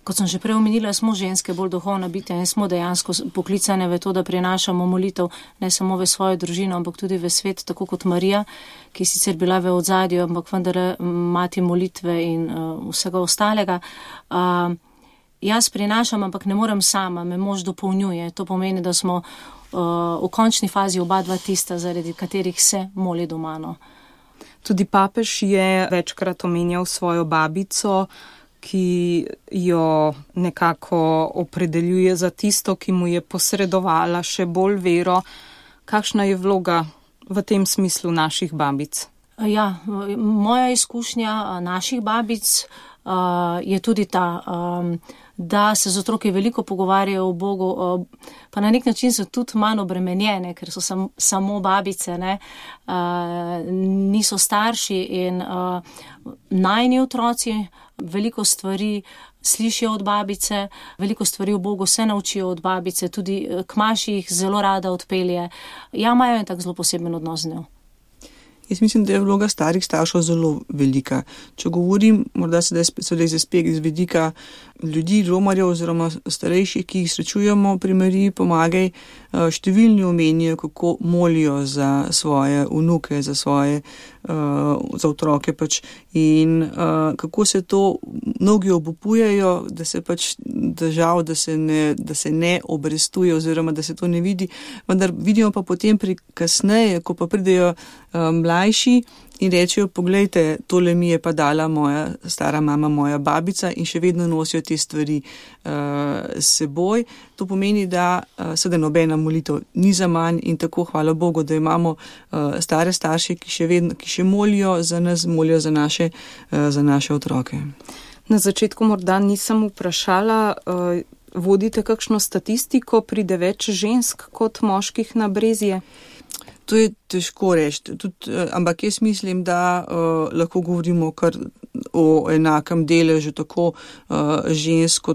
S4: Kot sem že prej omenila, smo ženske bolj duhovna bitja in smo dejansko poklicane v to, da prinašamo molitev ne samo v svojo družino, ampak tudi v svet, tako kot Marija, ki je sicer bila v odzadju, ampak vendar mati molitve in vsega ostalega. Jaz prinašam, ampak ne morem sama, me mož dopolnjuje. To pomeni, da smo v končni fazi oba dva tista, zaradi katerih se moli doma. No.
S2: Tudi papež je večkrat omenjal svojo babico, ki jo nekako opredeljuje za tisto, ki mu je posredovala še bolj vero. Kakšna je vloga v tem smislu naših babic?
S4: Ja, moja izkušnja naših babic je tudi ta, da se z otroki veliko pogovarjajo o Bogu, pa na nek način so tudi manj obremenjene, ker so samo babice, ne? Niso starši in najni otroci veliko stvari slišijo od babice, veliko stvari o Bogu se naučijo od babice, tudi k maši jih zelo rada odpelje. Ja, imajo en tak zelo poseben odnos z njo.
S1: Jaz mislim, da je vloga starih staršev zelo velika. Če govorim, morda se spet iz vidika ljudi, romarjev oziroma starejših, ki jih srečujemo pri Mariji Pomagaj, številni omenijo, kako molijo za svoje vnuke, za otroke pač. In kako se to mnogi obupujejo, da se pač žal, da se ne obrestuje oziroma da se to ne vidi, vendar vidimo pa potem kasneje, ko pa pridejo mlajši in rečejo, poglejte, tole mi je pa dala moja stara mama, moja babica in še vedno nosijo te stvari s seboj. To pomeni, da seveda nobena molitev ni za manj in tako hvala Bogu, da imamo stare starše, ki še molijo za nas, molijo za naše otroke.
S2: Na začetku morda nisem vprašala, vodite kakšno statistiko, pride več žensk kot moških na brezje?
S1: To je težko reči, ampak jaz mislim, da lahko govorimo kar o enakem deležu tako žensk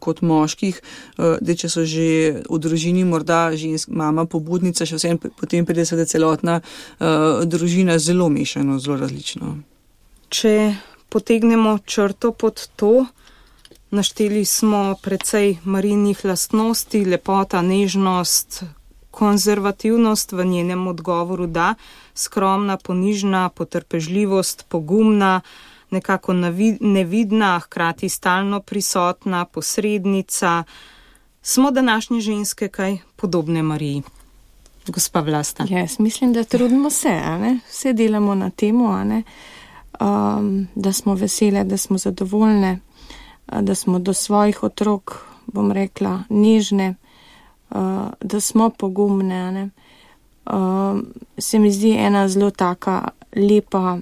S1: kot moških. Če so že v družini morda mama pobudnica, še vsem potem pride se celotna družina zelo mešano, zelo različno.
S2: Če potegnemo črto pod to, našteli smo precej Marijinih lastnosti, lepota, nežnost, konzervativnost v njenem odgovoru, da, skromna, ponižna, potrpežljivost, pogumna, nekako nevidna, hkrati stalno prisotna, posrednica. Smo današnje ženske kaj podobne Mariji? Gospa Vlasta.
S5: Jaz mislim, da trudimo se, vse delamo na temu, da smo vesele, da smo zadovoljne, da smo do svojih otrok, bom rekla, nežne, da smo pogumne. Se mi zdi ena zelo taka lepa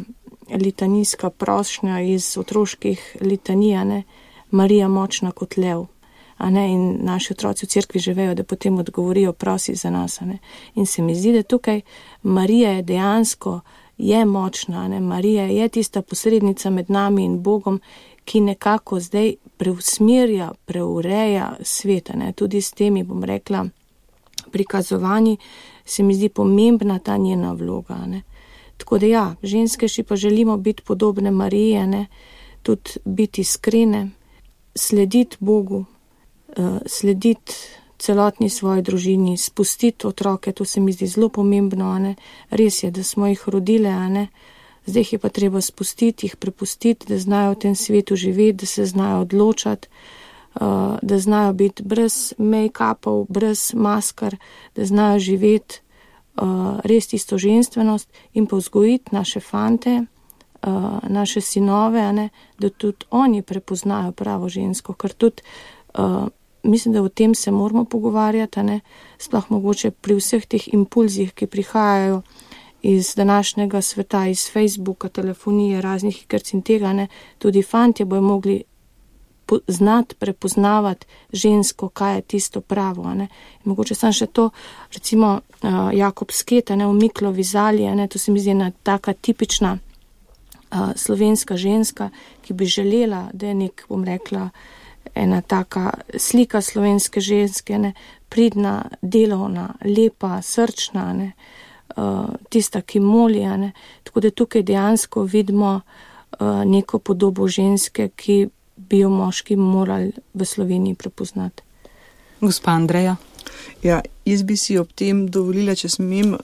S5: litanijska prošnja iz otroških litanij, Marija močna kot lev. In naši otroci v cerkvi že vejo, da potem odgovorijo, prosi za nas. In se mi zdi, da tukaj Marija je dejansko močna. Marija je tista posrednica med nami in Bogom, ki nekako zdaj preusmerja, preureja svet. Tudi s temi, bom rekla, prikazovanji se mi zdi pomembna ta njena vloga. Tako da ja, ženske še pa želimo biti podobne Mariji, tudi biti iskrene, slediti Bogu, slediti celotni svoji družini, spustiti otroke, to se mi zdi zelo pomembno. Res je, da smo jih rodile, zdaj jih je pa treba spustiti, jih prepustiti, da znajo v tem svetu živeti, da se znajo odločati, da znajo biti brez make-upov, brez maskar, da znajo živeti res tisto ženstvenost in pa vzgojiti naše fante, naše sinove, da tudi oni prepoznajo pravo žensko, ker tudi mislim, da o tem se moramo pogovarjati, sploh mogoče pri vseh teh impulzih, ki prihajajo iz današnjega sveta, iz Facebooka, telefonije, raznih igrc in tega, tudi fantje bojo mogli znati prepoznavati žensko, kaj je tisto pravo. Mogoče sam še to, recimo Jakob Sket, v Miklovi Zali, to se mi zdi ena taka tipična slovenska ženska, ki bi želela, da je nek, bom rekla, ena taka slika slovenske ženske, pridna, delovna, lepa, srčna, tista, ki moli. Tako da tukaj dejansko vidimo neko podobo ženske, ki bi jo moški morali v Sloveniji prepoznati.
S2: Gospa Andreja.
S1: Ja, jaz bi si ob tem dovolila, če smem,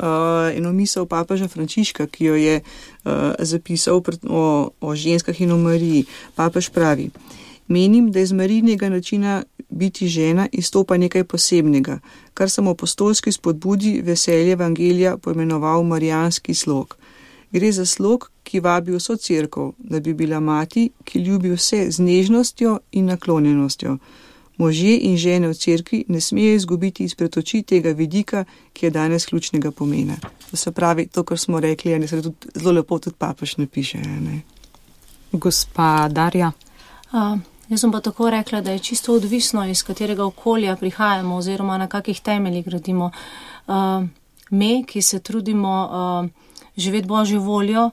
S1: eno misel papeža Frančiška, ki jo je zapisal o ženskah in o Mariji. Papež pravi: menim, da iz Marijinega načina biti žena izstopa nekaj posebnega, kar sem apostolski spodbudi veselje evangelija poimenoval marijanski slog. Gre za slog, ki vabi vso cerkev, da bi bila mati, ki ljubi vse z nežnostjo in naklonjenostjo. Možje in žene v cerkvi ne smejo izgubiti izpred oči tega vidika, ki je danes ključnega pomena. To se pravi, to, kar smo rekli, se tudi zelo lepo tudi papež napiše. Ne?
S2: Gospa Darja.
S4: Jaz sem pa tako rekla, da je čisto odvisno, iz katerega okolja prihajamo oziroma na kakih temeljih gradimo. Me, ki se trudimo živeti Božjo voljo,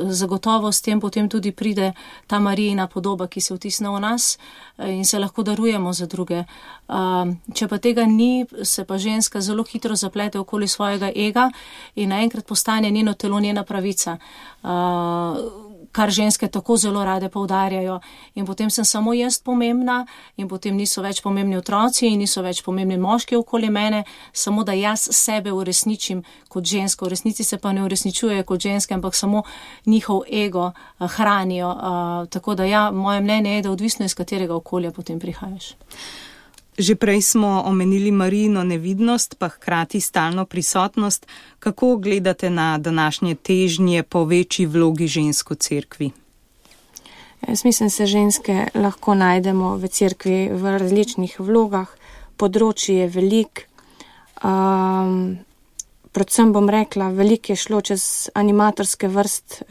S4: zagotovo s tem potem tudi pride ta Marijina podoba, ki se vtisne v nas in se lahko darujemo za druge. Če pa tega ni, se pa ženska zelo hitro zaplete okoli svojega ega in naenkrat postane njeno telo njena pravica, kar ženske tako zelo rade poudarjajo. In potem sem samo jaz pomembna in potem niso več pomembni otroci in niso več pomembni moški okoli mene, samo da jaz sebe uresničim kot žensko. V resnici se pa ne uresničuje kot ženske, ampak samo njihov ego hranijo. Tako da ja, moje mnenje je, da odvisno iz katerega okolja potem prihajaš.
S2: Že prej smo omenili Marijino nevidnost, pa hkrati stalno prisotnost. Kako gledate na današnje težnje po večji vlogi žensk v cerkvi?
S5: Jaz mislim, se ženske lahko najdemo v cerkvi v različnih vlogah. Področje je veliko. Predvsem bom rekla, veliko je šlo čez animatorske vrst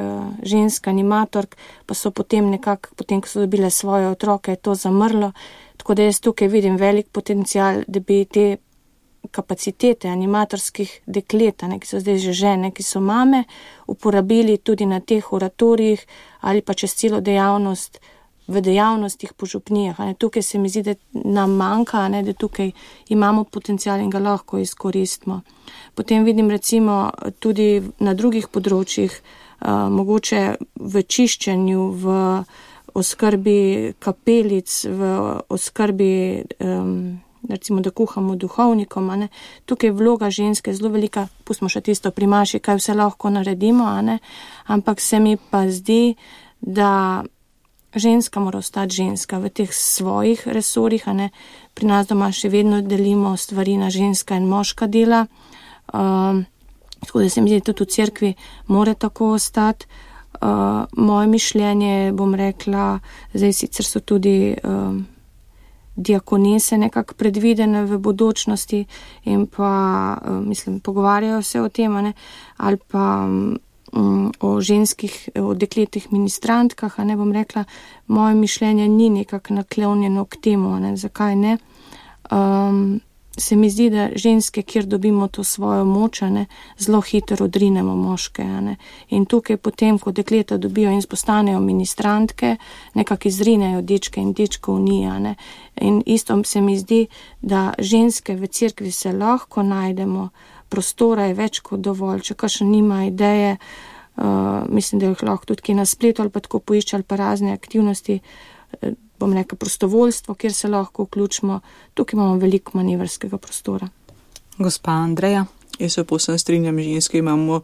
S5: žensk animatork, pa so potem nekako, potem ko so dobile svoje otroke, to zamrlo. Tako da jaz tukaj vidim velik potencial, da bi te kapacitete animatorskih deklet, ki so zdaj že žene, ki so mame, uporabili tudi na teh oratorijih ali pa čez celo dejavnost v dejavnostih po župnijah. Tukaj se mi zdi, da nam manjka, da tukaj imamo potencial in ga lahko izkoristimo. Potem vidim recimo tudi na drugih področjih, mogoče v čiščenju, v oskrbi kapelic, v oskrbi, recimo, da kuhamo duhovnikom. Tukaj je vloga ženske zelo velika, pustimo še tisto pri maši, kaj vse lahko naredimo, ampak se mi pa zdi, da ženska mora ostati ženska v teh svojih resorjih. Pri nas doma še vedno delimo stvari na ženska in moška dela, tako da se mi zdi, da tudi v cerkvi mora tako ostati. Moje mišljenje, bom rekla, zdaj sicer so tudi diakonese nekako predvidene v bodočnosti in pa, mislim, pogovarjajo se o tem, ali pa o ženskih, o dekletih ministrantkah, bom rekla, moje mišljenje ni nekako naklonjeno k temu, zakaj ne. Se mi zdi, da ženske, kjer dobimo to svojo moč, zelo hitro odrinemo moške. In tukaj potem, ko dekleta dobijo in postanejo ministrantke, nekako izrinejo dečke in dečkov ni. In isto se mi zdi, da ženske v cerkvi se lahko najdemo, prostora je več kot dovolj, če kakšen nima ideje, mislim, da jih lahko tudi na spletu ali pa tako poišče ali pa razne aktivnosti, bom rekla prostovoljstvo, kjer se lahko vključimo. Tukaj imamo veliko manevrskega prostora.
S2: Gospa Andreja.
S1: Jaz se povsem strinjam, ženske imamo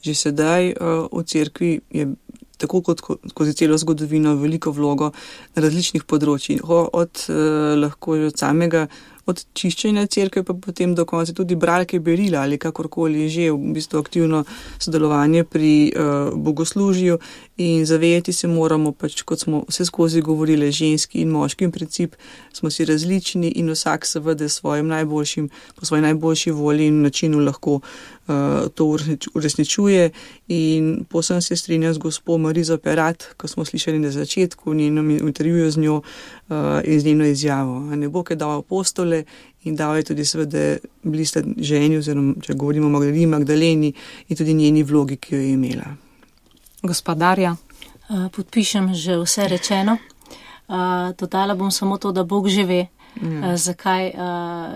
S1: že sedaj v cerkvi, je tako kot skozi celo zgodovino veliko vlogo na različnih področjih. Lahko že od čiščenja cerkve pa potem do konca tudi bralke berila ali kakorkoli že, v bistvu aktivno sodelovanje pri bogoslužju in zavedati se moramo, kot smo vse skozi govorili, ženski in moški in princip smo si različni in vsak seveda po svoji najboljši volji in načinu lahko to uresničuje in posebno se strinjam z gospo Marizo Perat, ko smo slišali na začetku v njenem intervjuju z njo in z njeno izjavo. Bog je dal apostole in dal je tudi seveda bili sta ženi, oziroma če govorimo o Magdaleni in tudi njeni vlogi, ki jo je imela.
S2: Gospa Darja.
S4: Podpišem že vse rečeno. Dodala bom samo to, da Bog že ve, zakaj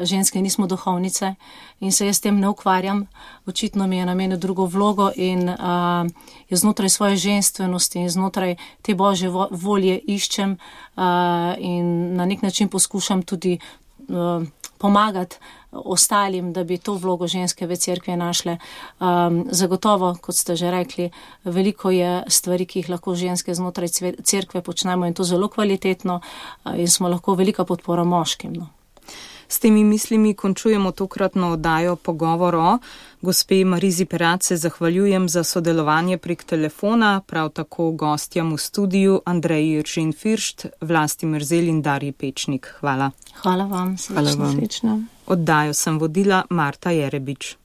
S4: ženske nismo duhovnice in se jaz s tem ne ukvarjam. Očitno mi je namenil drugo vlogo in jaz znotraj svoje ženstvenosti in znotraj te Božje volje iščem in na nek način poskušam tudi pomagati ostalim, da bi to vlogo ženske v cerkvi našle. Zagotovo, kot ste že rekli, veliko je stvari, ki jih lahko ženske znotraj cerkve počnemo in to zelo kvalitetno in smo lahko velika podpora moškim. No.
S2: S temi mislimi končujemo tokratno oddajo Pogovor o. Gospe Marizi Perat se zahvaljujem za sodelovanje prek telefona, prav tako gostjam v studiju Andreji Iržin-Firšt, Vlasti Merzel in Darji Pečnik. Hvala.
S4: Hvala vam.
S2: Oddajo sem vodila Marta Jerebič.